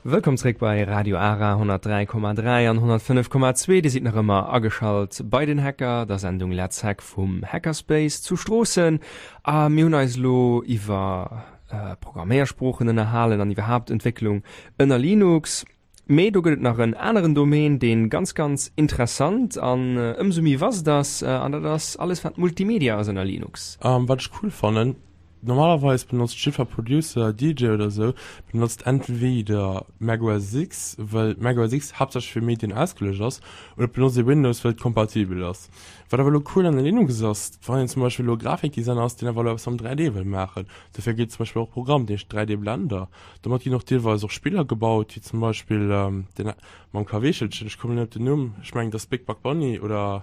Wëllkomm zréck bei Radio Ara 103,3 an 105,2. Dir sidd nach ëmmer ageschalt bei den Hacker, der Sendung Let's Hack vum Hackerspace zu Stroossen. A mir hunn eis elo iwwer Programméiersproochen ënnerhalen an iwwerhaapt Entwécklung ënner Linux. Mee do gëtt et nach en aneren Domaine, dee ganz, ganz interessant an ëmsou méi vast ass, an dat ass alles wat Multimedia ass ënner Linux. Wat ech cool fannen, Normalerweis benotzt jiddfer Producer, DJ oder sou benotzt entweder macOS X, well macOS X haaptsächlech fir Medien ausgeluecht ass, oder et benotzt ee Windows, well et kompatibel ass. Wat awer elo cool an Linux ass, wann een zum Beispill elo Grafikdesigner ass, deen awer elo eppes mam 3D wëll maachen, dofir gëtt et zum Beispill och e Programm, deen heescht 3D Blender. Domat ginn och deelweis och Spiller gebaut, wéi zum Beispill deen mam Kaweechelchen, ech kommen net op den Numm, ech mengen et ass Big Buck Bunny oder.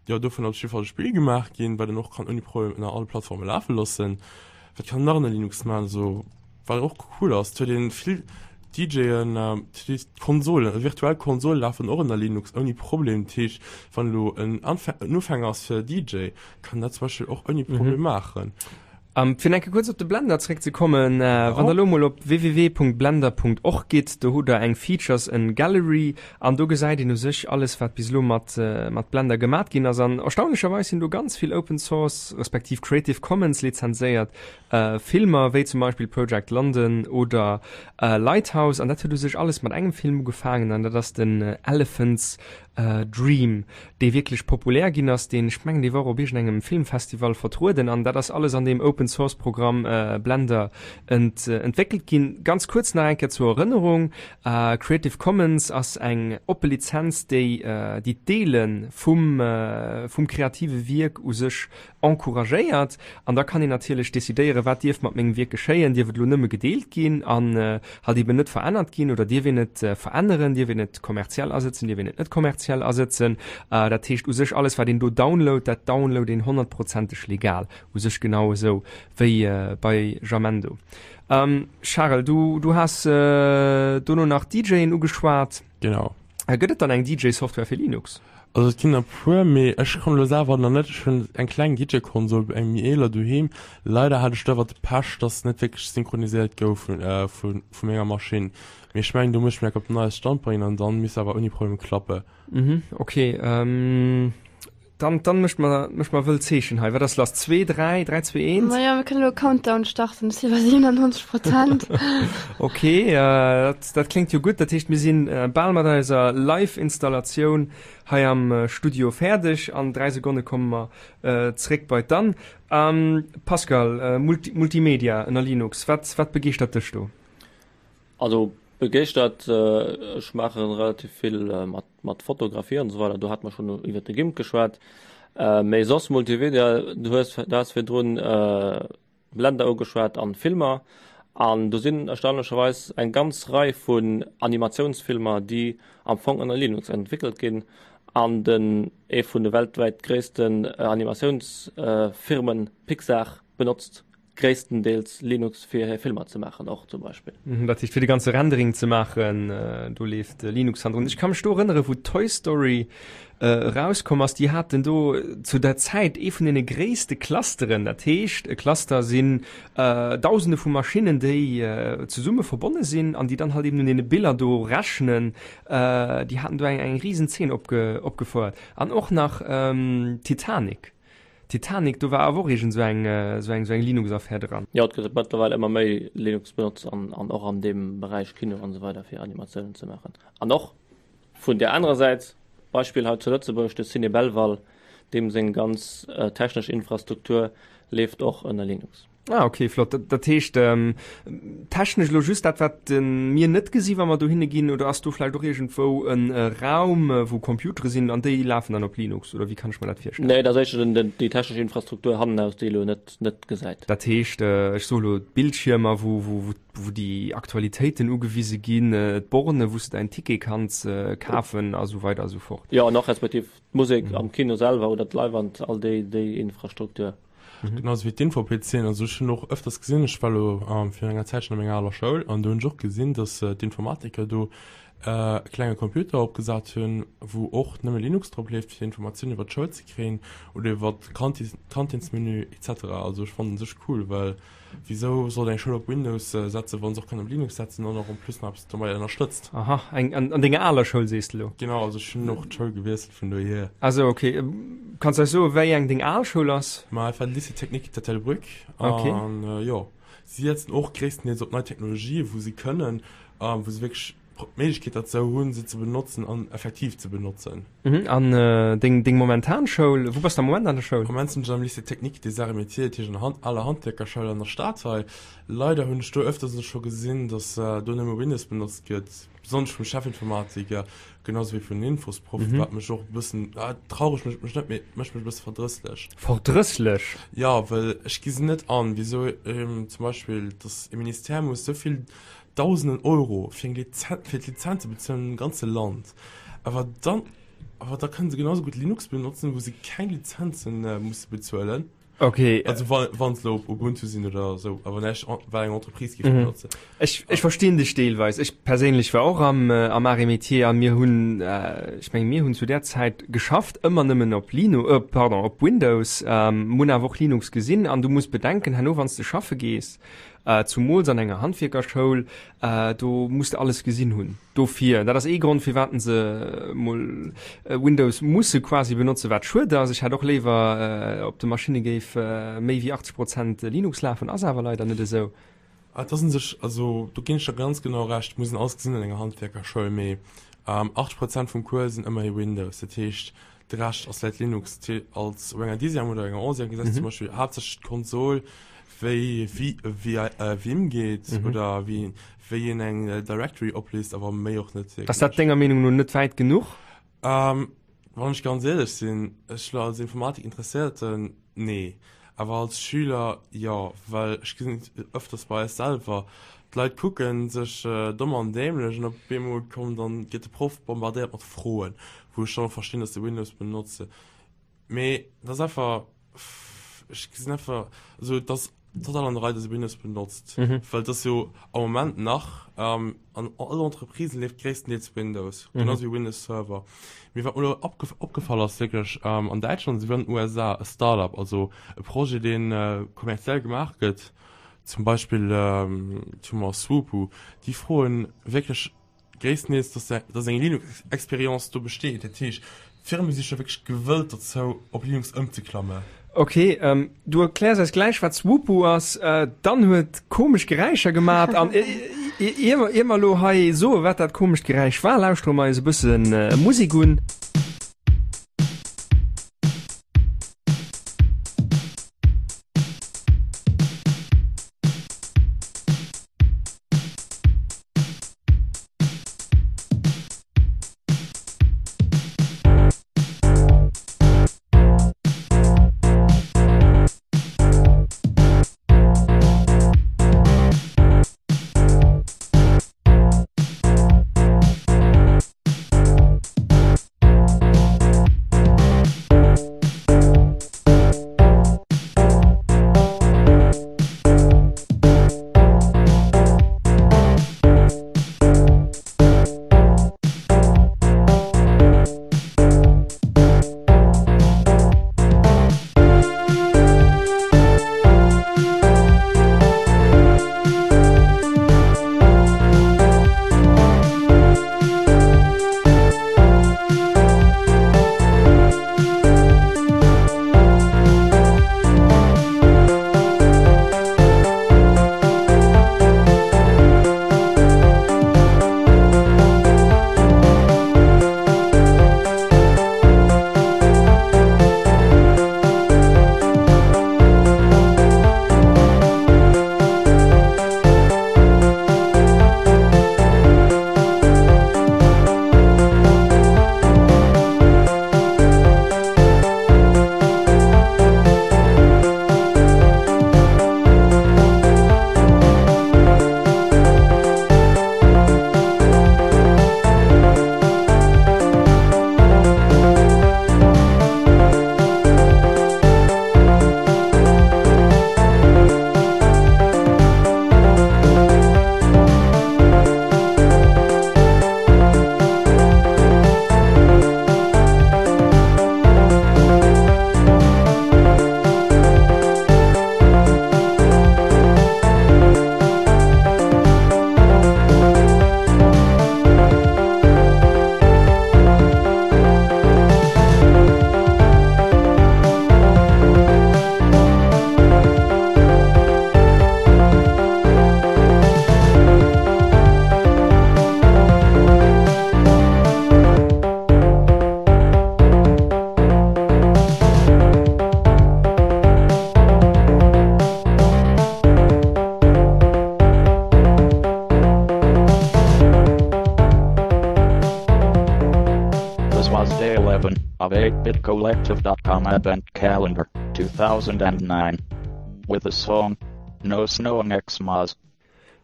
Jo, dovun ass op jidde Fall e Spill gemaach ginn, wat een och kann ouni Problem ënner alle Plattforme lafe loossen. Wat kann een nach ënner Linux maachen? Also, wat och cool ass, et huet een vill DJen, Konsolen, virtuell Konsole lafen och ënner Linux ouni Problem. Dat heescht, wann elo en Ufänger ass fir DJ, kann dat zum Beispill och ouni Problem maachen. Fir enke kuerz op de Blender zréckzekommen, wann der elo mol op www.blender.org gitt, do hutt der eng Features and Gallery an do gesäit een u sech alles wat bis elo mat mat Blender gemat ginn ass. An erstaunlecherweis sinn do ganz vill Open Source respektiv Creative Commons lizenzéiert Filmer, wéi zum Beispill Project London oder Lighthouse. An dat huet u sech alles mat engem Film ugefaangen an dat ass den Elephants Dream, dee wierklech populär ginn ass, deen, ech mengen, dee war och op iergendengem Filmfestival vertrueden an dat ass alles an deem Open-Source-Programm Blender entwéckelt ginn. Ganz kuerz nach eng Kéier zur Erënnerung, Creative Commons ass eng oppe Lizenz, déi déi d'Deele vum vum kreative Wierk u sech encouragéiert. An da kann een natierlech decidéieren, wat dierf mat mengem Wierk geschéien, dierf et elo nëmme gedeelt ginn an halt eben net verännert ginn oder dierf een et veränneren, dierf een et kommerziell asëtzen, dierf een et net kommerziell asëtzen. Dat heescht u sech alles wat een do download, dat download een honnertprozenteg legal, u sech genau esou wéi bei Jamendo. Charel, du du has dono nach DJen ugeschwat. Genau. Gëtt et dann eng DJ-Software fir Linux? Also et ginn der puer, mee ech kommen elo selwer nach net. Ech hunn eng kleng DJ-Konsol, eng méi eeler doheem. Leider hat ech do awer de Pech, dass se net wierklech synchroniséiert gouf vu vu menger Maschinn. Mee ech mengen, do muss ech mech op den neiste Stand bréngen an dann misst awer ouni Problem klappen. Mhm, okay. Dann, dann mécht mer, mécht mer wëll Zeechen hei. Wat ass lass? 2, 3, 3, 2, 1? Maja, mir kënnen elo e Countdown starten. Ech si bei 97 Prozent. Okay, dat, dat kléngt jo gutt. Dat heescht, mir sinn bal mat eiser Live-Installatioun hei am Studio fäerdeg. An 3 Sekonne komme mer zréck bei d'Anne. Pascal, Multi, Multimedia ënner Linux, wat, wat begeeschtert dech do? Also begeeschtert, ech maache relativ vill mat mat Fotografie an esou weider, do hate mer schonn iwwert de Gimp geschwat. Mee soss Multimedia, du hues du has virdrun Blender ugeschwat an Filmer an do sinn erstaunlecherweis eng ganz Rei vun Animatiounsfilmer, déi am Fong ënner Linux entwéckelt ginn an den ee vun de weltwäit gréissten Animatiounsfirmen Pixar benotzt gréisstendeels Linux fir hir Filmer ze maachen och zum Beispill. Dat heescht fir de ganze Rendering ze maachen, do leeft Linux hannendrun. Ech ka mech do erënnere wou Toy Story erauskomm ass, déi haten do zu der Zäit ee vun deene gréisste Clusteren. Dat heescht e Cluster sinn Dausende vu Maschinnen, déi zesumme verbonne sinn an déi dann halt eben un deene Biller do rechnen. Déi haten do eng eng risen Zeen opge opgefouert an och nach Titanic. Titanic, do war awer och iergend sou eng, sou eng, sou eng Linux-Affär dran. Jo, et gëtt mëttlerweil ëmmer méi Linux benotzt an, an och an deem Beräich Kino an esou weider fir Animatiounen ze maachen. An och vun där anerer Säit, Beispill hei zu Lëtzebuerg, de Ciné Belval, deem seng ganz technesch Infrastruktur leeft och ënner Linux. Ah, okay, flott. Dat, dat heescht, ähm, technesch elo just dat, wat äh, mir net gesi wa mer dohinne ginn, oder ass do vläicht och iergendwou en äh, Raum, äh, wou Computere sinn an déi lafen dann op Linux, oder wéi kann ech mer dat virstellen? Nee, dat ass éischter den, den, déi technesch Infrastruktur hannenaus, déi elo net, net gesäit. Dat heescht, äh, ech soe lo d'Bildschiermer, wou, wou, wou, wou déi Aktualitéiten ugewise ginn, äh, d'Borne, wou s de däin Ticket kanns äh, kafen a sou weider a sou fort. Jo, an och respektiv d'Musek am Kino selwer oder d'Leiwand, all déi, déi Infrastruktur. Mhm. Genauso wéi d'Info-PCen. Also ech hunn och ëfters gesinn, ech war elo ähm, virun enger Zäitchen a menger aler Schoul an do hunn ech och gesinn, dass äh, d'Informatiker do e klenge Computer opgesat hunn, wou och nëmme Linux drop leeft, fir Informatiounen iwwer d'Schoul ze kréien oder iwwer d'Kantinsmenü etc. Also ech fannen sech cool, well wisou sollt eng Schoul op Windows setzen, wa se och kann op Linux setzen an och en plus nach eppes domadder ënnerstëtzt. Aha, eng an denger aler Schoul sees de elo? Genau, also ech hunn och d'Schoul gewiesselt vun dohier. Ah sou, ok. Kanns de eis soen, wéi eng deng al Schoul ass? Ma et war de Lycée Technique d'Ettelbréck Ok. an jo, si setzen och gréisstendeels op nei Technologien, wou se kënnen a wou se wierklech d'Méiglechkeet derzou hunn, se ze benotzen an effektiv ze benotzen. Mhm, an deng, deng momentan Schoul, wou bass de am Moment an der Schoul? Am Moment sinn ech am Lycée Technique des Arts et Métiers, dat heescht an der aler Handwierkerschoul an der Stad hei. Leider hunn ech do ëfters elo scho gesinn, datt do nëmme Windows benotzt gëtt, besonnesch vum Chefinformatiker, genau sou wéi vun den Infosproffen, wat mech och e bëssen, traureg mécht mech net, mee et mécht mech e bësse verdrësslech. Verdrësslech? Jo, well ech gi se net an, wisou zum Beispill, datt e Ministère muss esou vill Dausenden Euro fir eng Lizenz, fir d'Lizenz ze bezuelen am ganze Land. Awer dann, awer da kënnen se genauso gutt Linux benotzen, wou se keng Lizenzen musse bezuelen. Okay. Also wa, wann se elo op Ubuntu sinn oder esou, awer näischt, wat eng Entreprise géif benotzen. Ech, ech verstinn dech deelweis. Ech perséinlech war och am, am Arts et Métiers a mir hunn, ech mengen, mir hunn zu där Zäit geschafft, ëmmer nëmmen op Linu, pardon, op Windows, mir hunn awer och Linux gesinn. An du muss bedenken, herno wann s de schaffe gees, Zumools an enger Handwierkerschoul, do muss de alles gesinn hunn. Dofir, dat ass ee Grond, firwat se mol Windows musse quasi benotzen, wat schued ass. Ech hätt och léiwer, op de Maschinne géif méi wéi 80 Prozent Linux lafen, ass awer leider net esou. Et ass un sech, also do ginn ech der ganz genau Recht, muss een alles gesinn an enger Handwierkerschoul, mee 80 Prozent vum Cours sinn ëmmerhi Windows. Dat heescht, De Rescht ass vläit Linux als op enger Dixième oder enger Onzième gesäis du zum Beispill haaptsächlech d'Konsol, wéi Vim geet oder wéi wéi een eng Directory opliest, awer méi och net wierklech. Ass dat denger Meenung no net wäit genuch? Wann ech ganz éierlech sinn, ech lo als Informatik-Interesséierten, nee. Awer als Schüler jo, well ech gesinn et ëfters bei eis selwer, d'Leit kucken sech domm an dämlech an op eemol kommen dann, gëtt de Proff bombardéiert mat Froen, wou ech dann och verstinn, dass se Windows benotzen. Mee dat ass einfach, ech gesinn einfach, also et ass total an der Rei, dass ee Windows benotzt, well et ass jo am Moment nach, an all Entreprisen leeft gréisstendeels Windows, genau sou wéi Windows Server. Mee wat mer elo opgefall ass, wierklech an Däitschland esouwéi an den USA, e Start-up, also e Projet, dee kommerziell gemaach gëtt, zum Beispill hu mer Swoopu, déi froen wierklech gréisstendeels, dass dass eng Linux-Experience do besteet. Dat heescht, d'Firme si scho wierklech gewëllt dozou, op Linux ëmzeklammen. Ok, du erkläers eis gläich wat Swoopu ass. Dann huet komesch Geräischer gemat an ier mer ier mer elo hei soe wat dat komescht Geräisch war, lauschtere mer eis e bësse Musek un. of 8bitcollective.com Advent Calendar 2009 with the song No Snow on Xmas.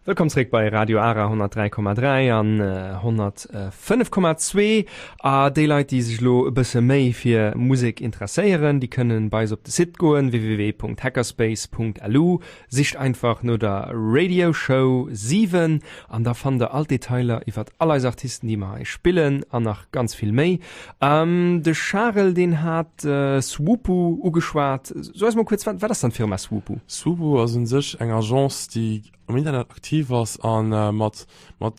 Wëllkomm zréck bei Radio Ara 103,3 an 105,2. A déi Leit, déi sech elo e bësse méi fir Musek interesséieren, déi kënnen bei eis op de Site goen, www.hackerspace.lu. Sicht einfach no der Radio Show 7 an da fannt der all d'Detailer iwwert all eis Artisten, déi mer hei spillen an nach ganz vill méi. De Charel, deen hat Swoopu ugeschwat. So eis mol kuerz, wat wat ass dann d'Firma Swoopu? Swoopu ass un sech eng Agence, déi am Internet aktiv ass a mat mat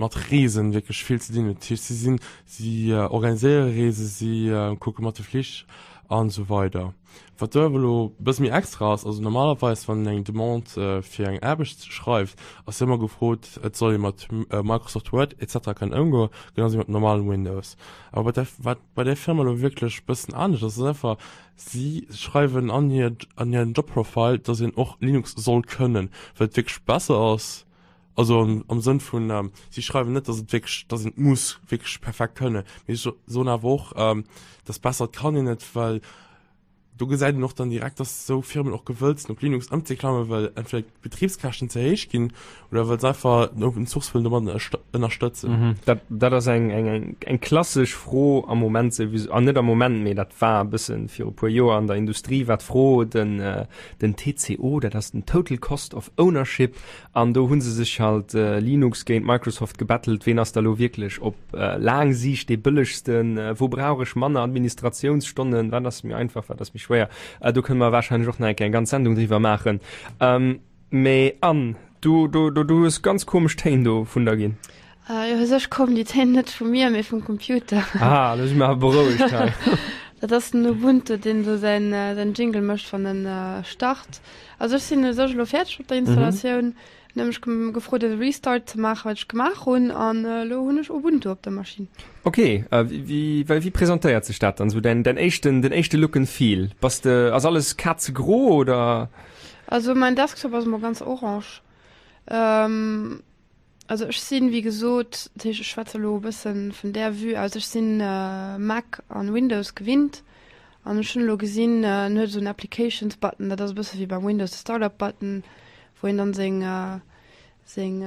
mat Reesen wierklech vill ze dinn huet. Dat heescht, si sinn, si organiséiere Reesen, si kucke mat de Flich an esou weider. Wat do awer elo e bësse méi extra ass, also normalerweis wann een eng Demande fir eng Aarbecht schreift, ass jo ëmmer gefrot, et soll ee mat Microsoft Word et cetera kënnen ëmgoen, genau wéi mat normalem Windows. Awer bei där, wat bei där Firma elo wierklech e bëssen anescht ass, ass einfach, si schreiwen an hir, an hiren Jobprofile, datt een och Linux soll kënnen, well et wierklech besser ass, Also am Sënn vun, si schreiwen net, datt et wierklech, datt een et muss wierklech perfekt kënnen, mee si soen awer och, datt besser et kann een et, well do gesäit een och dann direkt, datt esou Firmen och gewëllt sinn op Linux ëmzeklammen, well entweder d'Betribskäschten ze héich ginn oder well se einfach den Open Source wëllen domat ënnerstëtzen. Dat, dat ass eng, eng, eng, eng klassesch Fro am Moment souwisou, an net am Moment, mee dat war e bësse viru puer Joer an der Industrie war d'Fro, den, den TCO, dat ass den Total Cost of Ownership, An do hu se sech halt Linux géint Microsoft gebettelt, ween ass da lo wierklech op laang Siicht dee bëllegsten, wou brauch ech manner Administratiounsstonnen, wat ass méi einfach, wat ass méi schwéier. Do kënne mer warscheinlech och nach eng Kéier eng ganz Sendung driwwer maachen. Mee Anne, du, du, du, du hues ganz komesch Téin do vun der ginn. Jo, u sech kommen déi Téin net vu mir, mee vum Computer. Ah, lo si mer awer berouegt hei. Dat ass den Ubuntu, deen do säin, säin Jingle mécht, wann en start. Also ech sinn u sech elo fäerdeg mat der Installatioun. En huet mech gefrot e Restart ze maachen, wat ech gemaach hunn, an elo hunn ech Ubuntu op der Maschinn. Ok, wéi wéi presentéiert sech dat dann esou, däin däin éischten, den éischte Look and Feel? Bass de, ass alles kazegro oder? Also mäin Desktop ass emol ganz orange. Also ech sinn, wéi gesot, dat heescht ech schwätze elo e bëssen vun där Vue aus, ech sinn Mac an Windows gewinnt an ech hunn elo gesinn, en huet esou en Applications Button, dat ass e bësse wéi beim Windows de Startup Button, wou een dann seng, seng,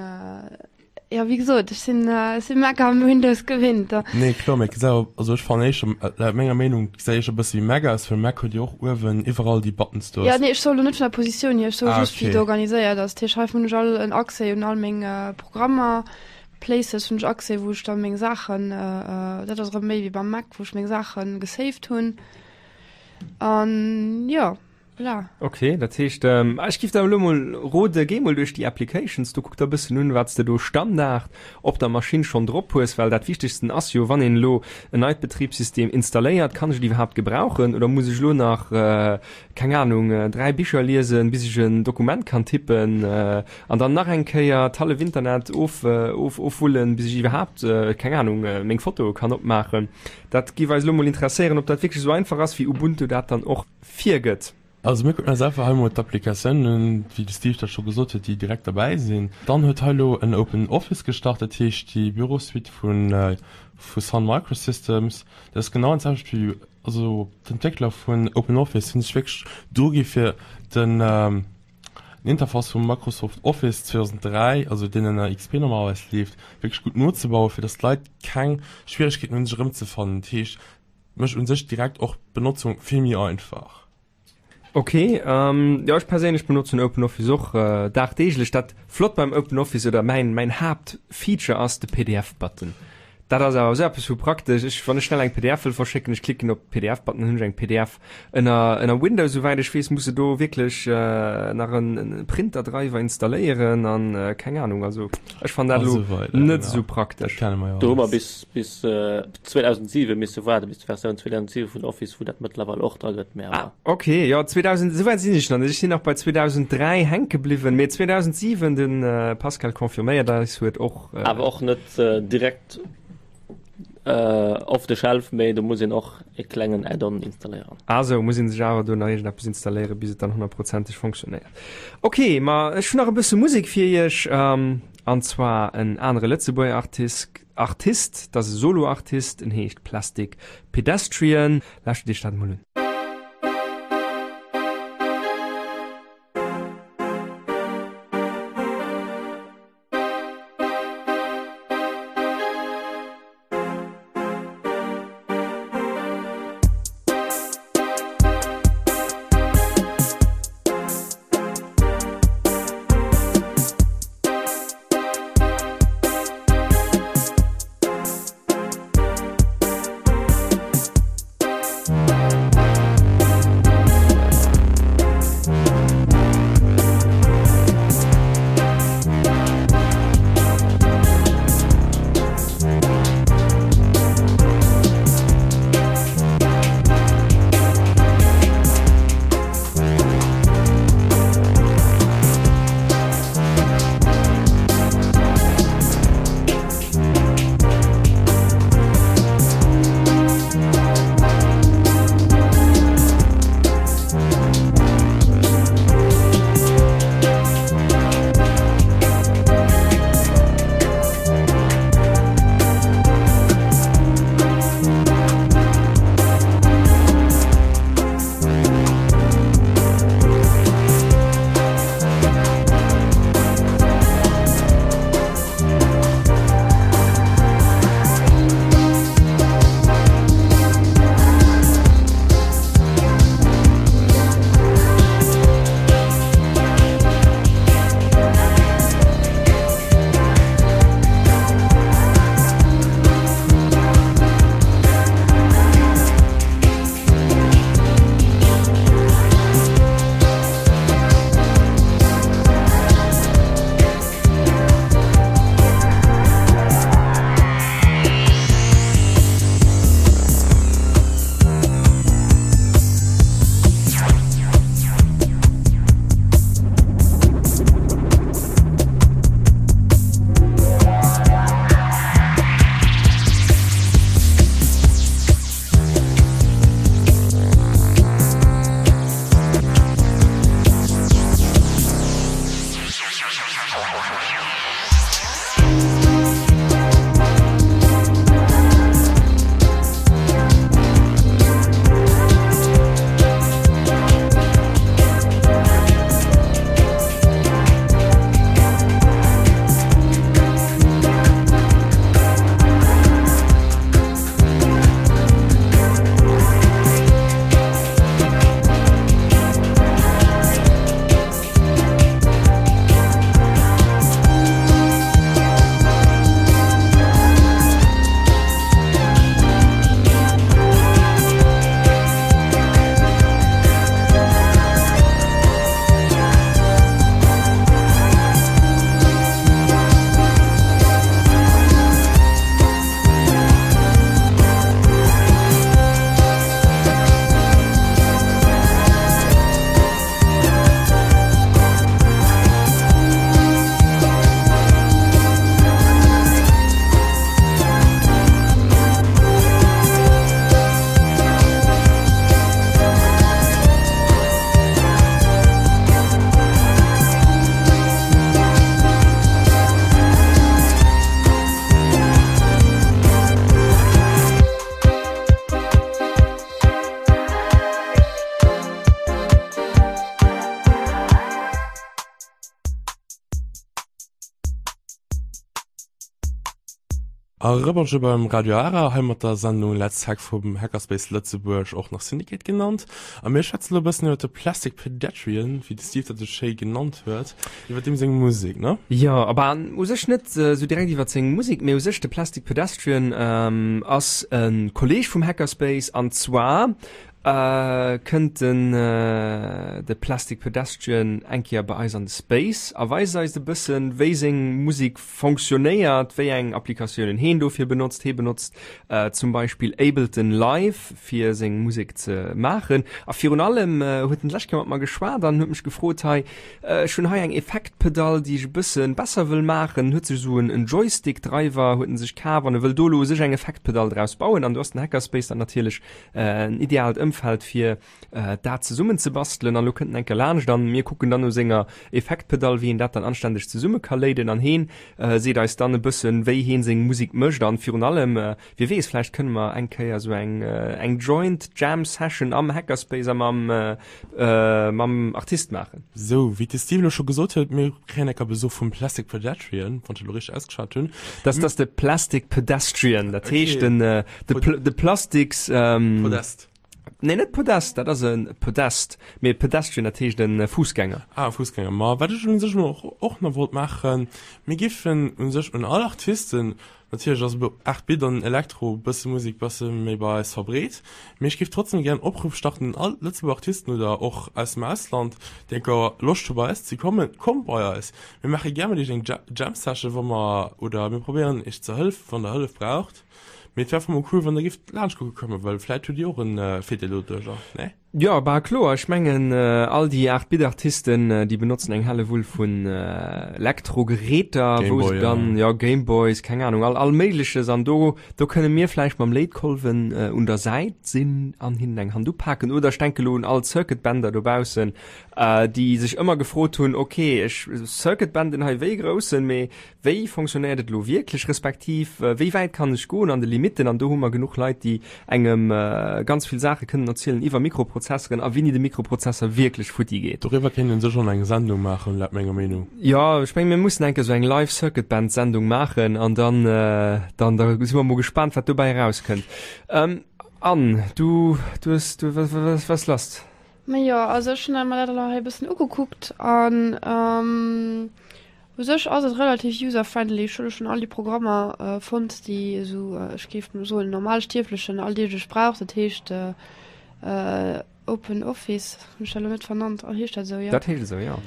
jo wéi gesot, ech sinn, ech sinn Mac an Windows gewinnt. Nee kloer, mee et gesäit awer, also ech fannen éischter, laut menger Meenung gesäit éischter e bësse wéi Mac aus, well Mac huet jo och uewen iwwerall déi Buttons do. Jo, nee, ech soe lo net vun der Positioun hier, ech soe just, wéi et organiséiert ass. Dat heescht, hei hunn ech all en Accès un all meng Programmer, Places hunn ech Accès, wou ech da meng Saachen, dat ass erëm méi wéi beim Mac, wou ech meng Saache gesaved hunn. An jo. Voilà. Ok, dat heescht, ech giff der elo mol rode, géi mol duerch déi Applications do, kuck der e bëssen un, wat s de do Standard op der Maschinn schonn drop hues, well dat Wichtegsten ass jo, wann een elo en neit Betribssystem installéiert, kann ech et iwwerhaapt gebrauchen oder muss ech elo nach, keng Ahnung, 3 Bicher liesen, bis ech en Dokument kann tippen an dann nach eng Kéier d'hallef Internet of, of, ofwullen, bis ech iwwerhaapt, keng Ahnung, meng Fotoe kann opmaachen. Dat giff eis elo mol interesséieren, ob dat wierklech esou einfach ass, wéi Ubuntu dat dann och virgëtt. Also mir kucken eis einfach hei mol d'Applikatiounen un, wéi de Steve dat scho gesot huet, déi direkt derbäi sinn. Dann huet hei elo en Open Office gestart, dat heescht déi Bürosuite vu vu Sun Microsystems. Dat ass genau dat selwecht wéi, also d'Entwéckler vun Open Office hunn sech wierklech dogi fir den Interface vum Microsoft Office 2003, also deen ënner XP normalerweis leeft, wierklech gutt nozebauen, fir datt d'Leit keng Schwieregkeeten hunn sech erëmzefannen. Dat heescht, Mécht un sech direkt och d'Benotzung vill méi einfach. Ok, jo ech perséinlech benotzen OpenOffice och dagdeeglech. Dat flott beim OpenOffice oder mäin mäin Haaptfeature ass de PDF Button. Dat ass awer esou eppes vu praktesch. Ech wann ech schnell eng PDF wëll verschécken, ech klicken op PDF Button, dann hunn ech eng PDF. Ënner ënner Windows souwäit ech weess muss de do wierklech nach en en Printerdreiwer installéieren an keng Ahnung. Also ech fannen dat elo net esou praktesch. Do hu mer bis bis 2007 misse waarden, bis d'Versioun 2007 vun Office, wou dat mëttlerweil och dra gëtt, mä awer. Ah, ok, jo, 2000, esou wäit sinn ech nach net, ech sinn nach bei 2003 hänke bliwwen, mee 2007, de Pascal confirméiert eis, huet och. Awer och net direkt off the shelf, mee do muss een och e klengen Add-on installéieren. Ah sou, muss een sech awer do nach iergendeppes installéieren, bis et dann honnertprozenteg fonctionnéiert. Ok, ma ech hunn nach e bësse Musek fir iech, an zwar en anere Lëtzebuerger Artist. Artist, dat ass e Solo-Artist, en heescht Plastic Pedestrian. Lauschtert Iech dat emol un. A Rëberger beim Radio Ara, hei mat der Sendung Let's Hack vum Hackerspace Lëtzebuerg, och nach Syndicate genannt. A mir schwätzen elo e bëssen iwwer de Plastic Pedestrian, wéi de Steve dat esou schéi genannt huet, iwwer deem seng Musek, ne? Jo, aber u sech net esou direkt iwwer seng Musek, mee u sech de Plastic Pedestrian ass e Kolleeg vum Hackerspace an zwar Kënnt den de Plastic Pedestrian eng Kéier bei eis an de Space a weist eis e bëssen, wéi seng Musek fonctionnéiert, wéi eng Applikatiounen heen dofir benotzt. Hee benotzt zum Beispill Ableton Live fir seng Musek ze maachen. A virun allem huet en d'lescht Kéier mat mer geschwat an huet mech gefrot, hei ech hunn hei eng Effektpedall, déi ech e bësse besser wëll maachen. Huet sech esou en Joystick-Driver huet en sech kaf an e wëll do elo u sech eng Effektpedall draus bauen. An do ass den Hackerspace dann natierlech en ideaalt Ëmfeld. Ëmfeld fir dat zesummen ze bastelen. An elo kënnt en eng Kéier laanscht an mir kucken dann no senger Effektpedall, wéi een dat dann anständeg zesumme ka léiden. An heen seet eis dann e bëssen, wéi heen seng Musek mécht an virun allem, Wie weess, vläicht kënne mer eng Kéier esou eng eng Joint Jam Session am Hackerspace a mam mam Artist maachen. Sou, wéi de Steve elo scho gesot huet, mir kréien enker Besuch vum Plastic Pedestrian, wann ech elo richteg ausgeschwat hunn. Dat ass de Plastic Pedestrian, dat heescht den de Plastiks. Podest. Nee, net Podest, dat ass e Podest, mee Pedestrian, dat heescht e Fuussgänger. Ah, e Fuussgänger. Ma wat ech un sech elo och nach wollt maachen, mir giffen un sech un all Artisten, Natierlech ass elo 8 Bit an Elektro bësse Musek bësse méi bei eis verbreet, mee ech géif trotzdem gären Opruff starten un all Lëtzebuerger Artisten oder och aus dem Ausland, déi enker Loscht hu bei eis ze kommen, kommt bei eis, mir maache gär mat iech eng Jam Session wa mer oder mir probéieren iech ze hëllefen wann der Hëllef braucht, mee et wär einfach mol cool wann der géift laanscht kucke kommen, well vläit hutt dir och en Virdeel doduercher, nee? Jo, bah kloer. Ech mengen all déi 8 Bit Artisten, déi benotzen eng Hellewull vun Elektrogeräter, wou se dann, jo Gameboys, keng Ahnung, all all méigleches an do do kënne mir vläicht mam Léitkolwen un der Säit sinn an hinnen eng Hand upaken. Oder ech denke lo un all Circuit-Bender dobaussen, déi sech ëmmer gefrot hunn, ok ech Circuit-Benden hei wéi groussen, mee Wéi fonctionnéiert et elo wierklech, respektiv wéi wäit kann ech goen an de Limitten? An do hu mer genuch Leit, déi engem ganz vill Saache kënnen erzielen iwwer Mikroprozesseren a wéini de Mikroprozesser wierklech futti geet. Doriwwer kéint een sech schonn eng Sendung maachen, laut menger Meenung. Jo, ech mengen, mir mussen eng Kéier esou eng Live Circuit Band Sendung maachen an dann, dann, da si mer mol gespaant, wat dobäi erauskënnt. Anne, du, du hues, du, wat, wat, wat ass lass? Majo, also ech hunn mer dat elo hei e bëssen ugekuckt an U sech ass et relativ user-friendly. Ech hu lo schonn all déi Programmer fonnt, déi esou, ech géif mol soen, Normalstierflechen alldeeglech brauch. Dat heescht Open Office, hunn ech dat elo net vernannt? Heescht dat esou, jo? Dat heescht esou, jo.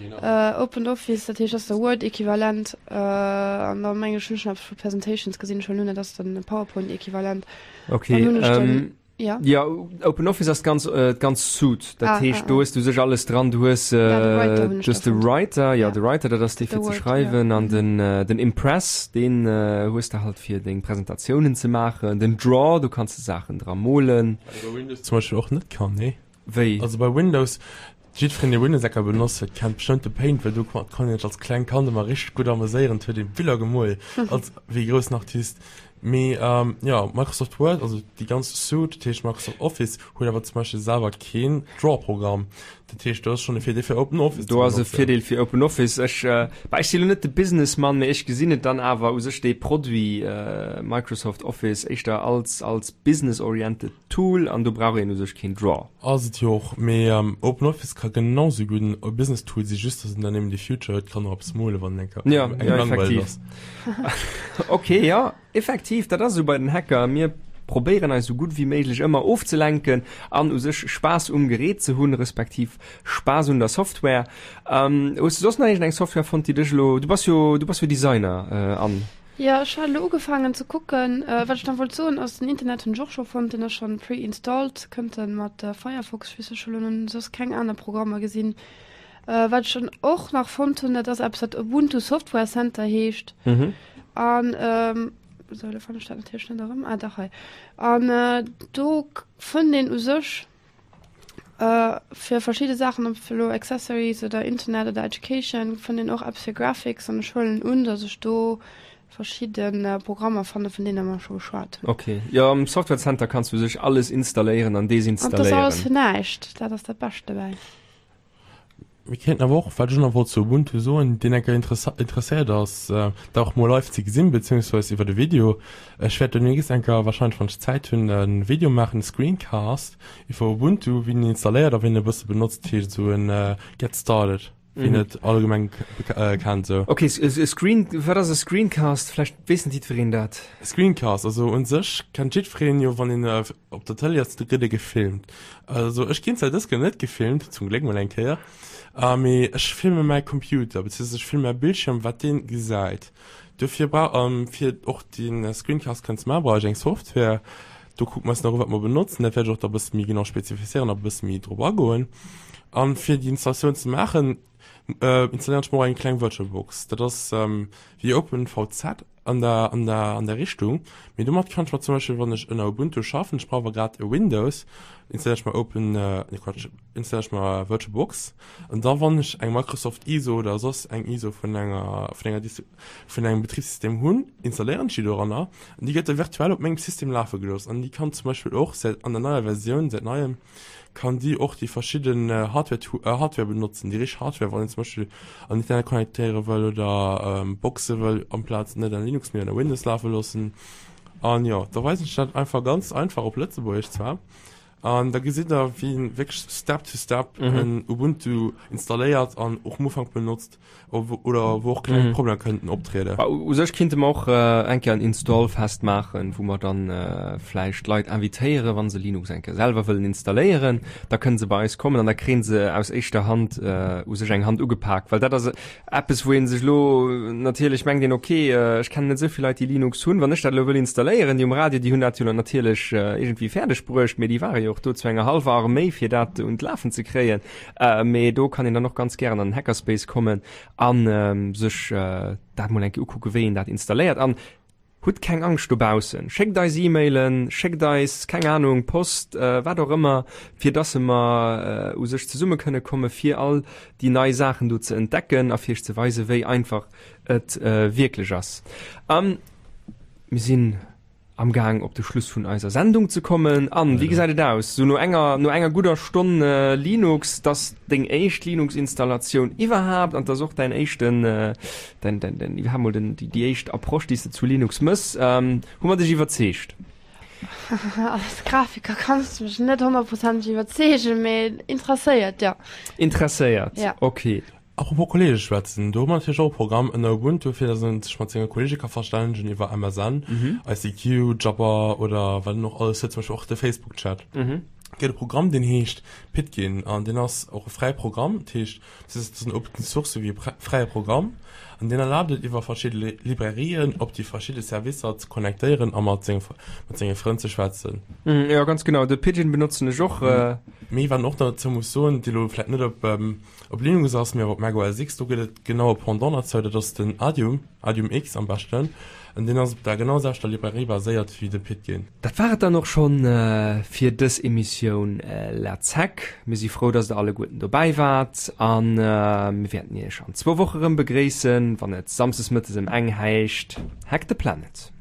Open Office, dat heescht, dat ass de Word-Equivalent. An da meng ech, hunn ech nach eppes vu Presentations gesinn. Ech huelen un, dat ass den PowerPoint-Equivalent. Okay. Dann hunn ech den. Ja. Ja, Open Office ass d'ganz äh, d'ganz Suite. Dat ah, heescht, ah, do hues du sech alles dran. Du hues äh, ja, de Writer, du hues de Writer, ja, ja, de Writer, dat ass dee fir ze schreiwen an mhm. den äh, den Impress, den äh, hues du halt fir deng Präsentatiounen ze maachen. Den Draw, du kanns de Saachen dra molen. Bei Windows zum Beispiel och net kann, nee? Wéi? Also bei Windows Jiddwereen dee Windows Ecker benotzt huet kennt bestëmmt de Paint, well do konnt een sech als klengt Kand ëmmer richteg gutt ameséieren, et huet ee Biller gemol als wéi e groussen Artist. Mee jo, Microsoft Word, also déi ganz Suite, dat heescht Microsoft Office, huet awer zum Beispill selwer keen Draw-Programm. Dat heescht do ass schonn e Virdeel fir Open Office ze benotzen. Do ass e Virdeel fir Open Office. Ech, bah ech si lo net de Businessmann, mee ech gesinn et dann awer u sech dee Produit Microsoft Office éischter als als business-oriented Tool an do brauch een u sech keen Draw. Ass et jo och, mee OpenOffice ka genau sou gutt en Business Tool si, just dass en dann eben dee Future huet, kann och eppes molen, wann en enker ja, engem langweileg ass. Ok, jo, effektiv, dat ass esou bei den Hacker, mir probéieren eis esou gutt wéi méiglech ëmmer ofzelenken an u sech Spaass um Gerät ze hunn, respektiv Spaass un der Software. Hues du soss nach iergendeng Software fonnt, déi dech elo, du bass jo, du bass jo Designer, Anne? Jo, ech hat elo ugefaangen ze kucken. Wat ech nach wollt soen ass, den Internet hunn ech och scho fonnt, deen ass schonn pre-installed, kënnt en mat Firefox, ech weess ech hu lo soss keng aner Programmer gesinn. Wat ech dann och nach fonnt hunn, dat ass eppes wat Ubuntu Software Center heescht an sou, elo fannen ech dat natierlech net erëm, ah dach hei, an do fënnt een u sech Fir verschidde Saachen, ob elo Accessories oder Internet oder Education, fënnt een och Apps fir Graphics an ech huelen un, datt ech do verschidde Programmer fanne vun deene mer scho geschwat hunn. Ok, jo am Software Center kanns du u sech alles installéieren an An et ass alles desinstalléieren. fir näischt, dat ass dat Bescht dobäi. Mir kéinten awer och, wat ech och nach wollt zu Ubuntu soen, deen enker interesséiert ass, dat och mol live ze gesinn, beziehungsweise iwwert e Video. Ech wäert demnächst enker, wahrscheinlech wann ech Zäit hunn, e Video maachen, e Screencast iwwer Ubuntu, wéi een en installéiert a wéi een e bësse benotzt, dat heescht esou en Get Started, wéi een et allgemeng kennt esou. Ok, e Screen, wat ass e Screencast? Vläicht weess net jiddwereen dat. Screencast, also un sech kennt jiddwereen jo, wann een op der Tëlee ass, da gëtt ee gefilmt. Also ech ginn zwar dës Kéier net gefilmt, zum Gléck mol eng Kéier, mee ech filme mäi Computer, beziehungsweise ech filme mäi Bildschirm, wat dee gesäit. Dofir brauch, fir och de Screencast kënnen ze maachen, brauch ech eng Software. Do kucke mer eis nach u wat mer benotzen, dat wäert ech och da bësse méi genau spezifizéieren a bësse méi drop agoen. A fir déi Installatioun ze maachen, installéieren ech mer och eng kleng VirtualBox. Dat ass wéi OpenVZ. an der, an der, an der Richtung, mee domat kann ech mer zum Beispill, wann ech ënner Ubuntu schaffen, ech brauch awer grad e Windows, installéiere ech mer Open, nee Quatsch, installéiere ech mer VirtualBox an da wann ech eng Microsoft ISO oder soss eng ISO vun enger, vun enger Distri-, vun engem Betribssystem hunn, installéieren ech déi doranner an déi gëtt da virtuell op mengem System lafe gelooss an déi kann zum Beispill och säit, an der neier Versioun, säit neiem, kann déi och déi verschidden Hardware Hardware benotzen, déi richteg Hardware, wann een zum Beispill an Internet connectéiere wëll oder Boxe wëll amplaz net an Linux mee an Windows lafe loossen. An jo, da weisen ech dat einfach ganz einfach op Lëtzebuergesch zwar. An da gesitt der wéi een wierklech Step to Step en Ubuntu installéiert an och am Ufank benotzt. Oder wou och kleng Problemer kënnten optrieden. U sech kinnte mer och eng Kéier en Installfest maachen, wou mer dann vläicht Leit invitéieren, wa se Linux eng Kéier selwer wëllen installéieren, da kënne se bei eis kommen an da kréie se aus éischter Hand u sech eng Hand ugepak. Well dat ass eppes, wou ee sech elo natierlech mengt een, ok, ech kennen net esou vill Leit, déi Linux hunn, wann ech dat elo wëll installéieren, déi um Radio, déi hunn dat jo natierlech iergendwéi fäerdeg bruecht, mee déi ware jo och do zu enger hallwer Arméi, fir dat un d'Lafen ze kréien. Mee do kann een dann och ganz gären an den Hackerspace kommen an sech dat mol eng Kéier ukucken, wéi een dat installéiert. An hutt keng Angscht dobaussen, schéckt eis E-Mailen, schéckt eis, keng Ahnung, Post, wat och ëmmer, fir dass mer u sech zesumme kënne komme fir all déi nei Saachen do ze entdecken a fir iech ze weisen, wéi einfach et wierklech ass. Mir sinn am Gaang op de Schluss vun eiser Sendung ze kommen. An wéi gesäit et aus? Sou no enger no enger gudder Stonn Linux, t'ass deng éischt Linux-Installatioun iwwerhaapt an t'ass och däin éischten däin däin däin iwwerhaapt mol den déi déi éischt Approche déi s de zu Linux mëss. Hu mer dech iwwerzeegt? Als Grafiker kanns de mech net honnertprozenteg iwwerzeegen, mee interesséiert, jo. Interesséiert, Ja. ok. Apropos Kollege schwätzen, do hu mer natierlech och e Programm ënner Ubuntu, fir dass een sech mat senge Kollege ka verstännegen iwwer MSN, ICQ, Jabber oder wat een och alles huet, zum Beispill och de Facebook-Chat. Gëtt e Programm, deen heescht Pidgin an deen ass och e fräie Programm, dat heescht, dat ass en Open Source souwéi e fräie Programm an deen erlaabt et iwwer verschidde Librairien op déi verschidde Servicer ze connectéieren a mat senge mat senge Frënn ze schwätzen. Jo, ganz genau, de Pidgin benotzen ech och. Mee wat een och dozou muss soen, déi elo vläicht net op Op Linux ass, mee och op Mac OS X, do gëtt et genau e Pendant derzou, dat ass den Adium, Adium X am beschten, an deen ass op der genau selwechter Librairie baséiert wéi de Pidgin. Dat war et dann och schonn fir dës Emissioun Let's Hack. Mir si frou, dass der alleguerten dobäi waart a mir wäerten iech an zwou Woche rëm begréissen, wann et samsdes mëttes ëm eng heischt Hack the Planet.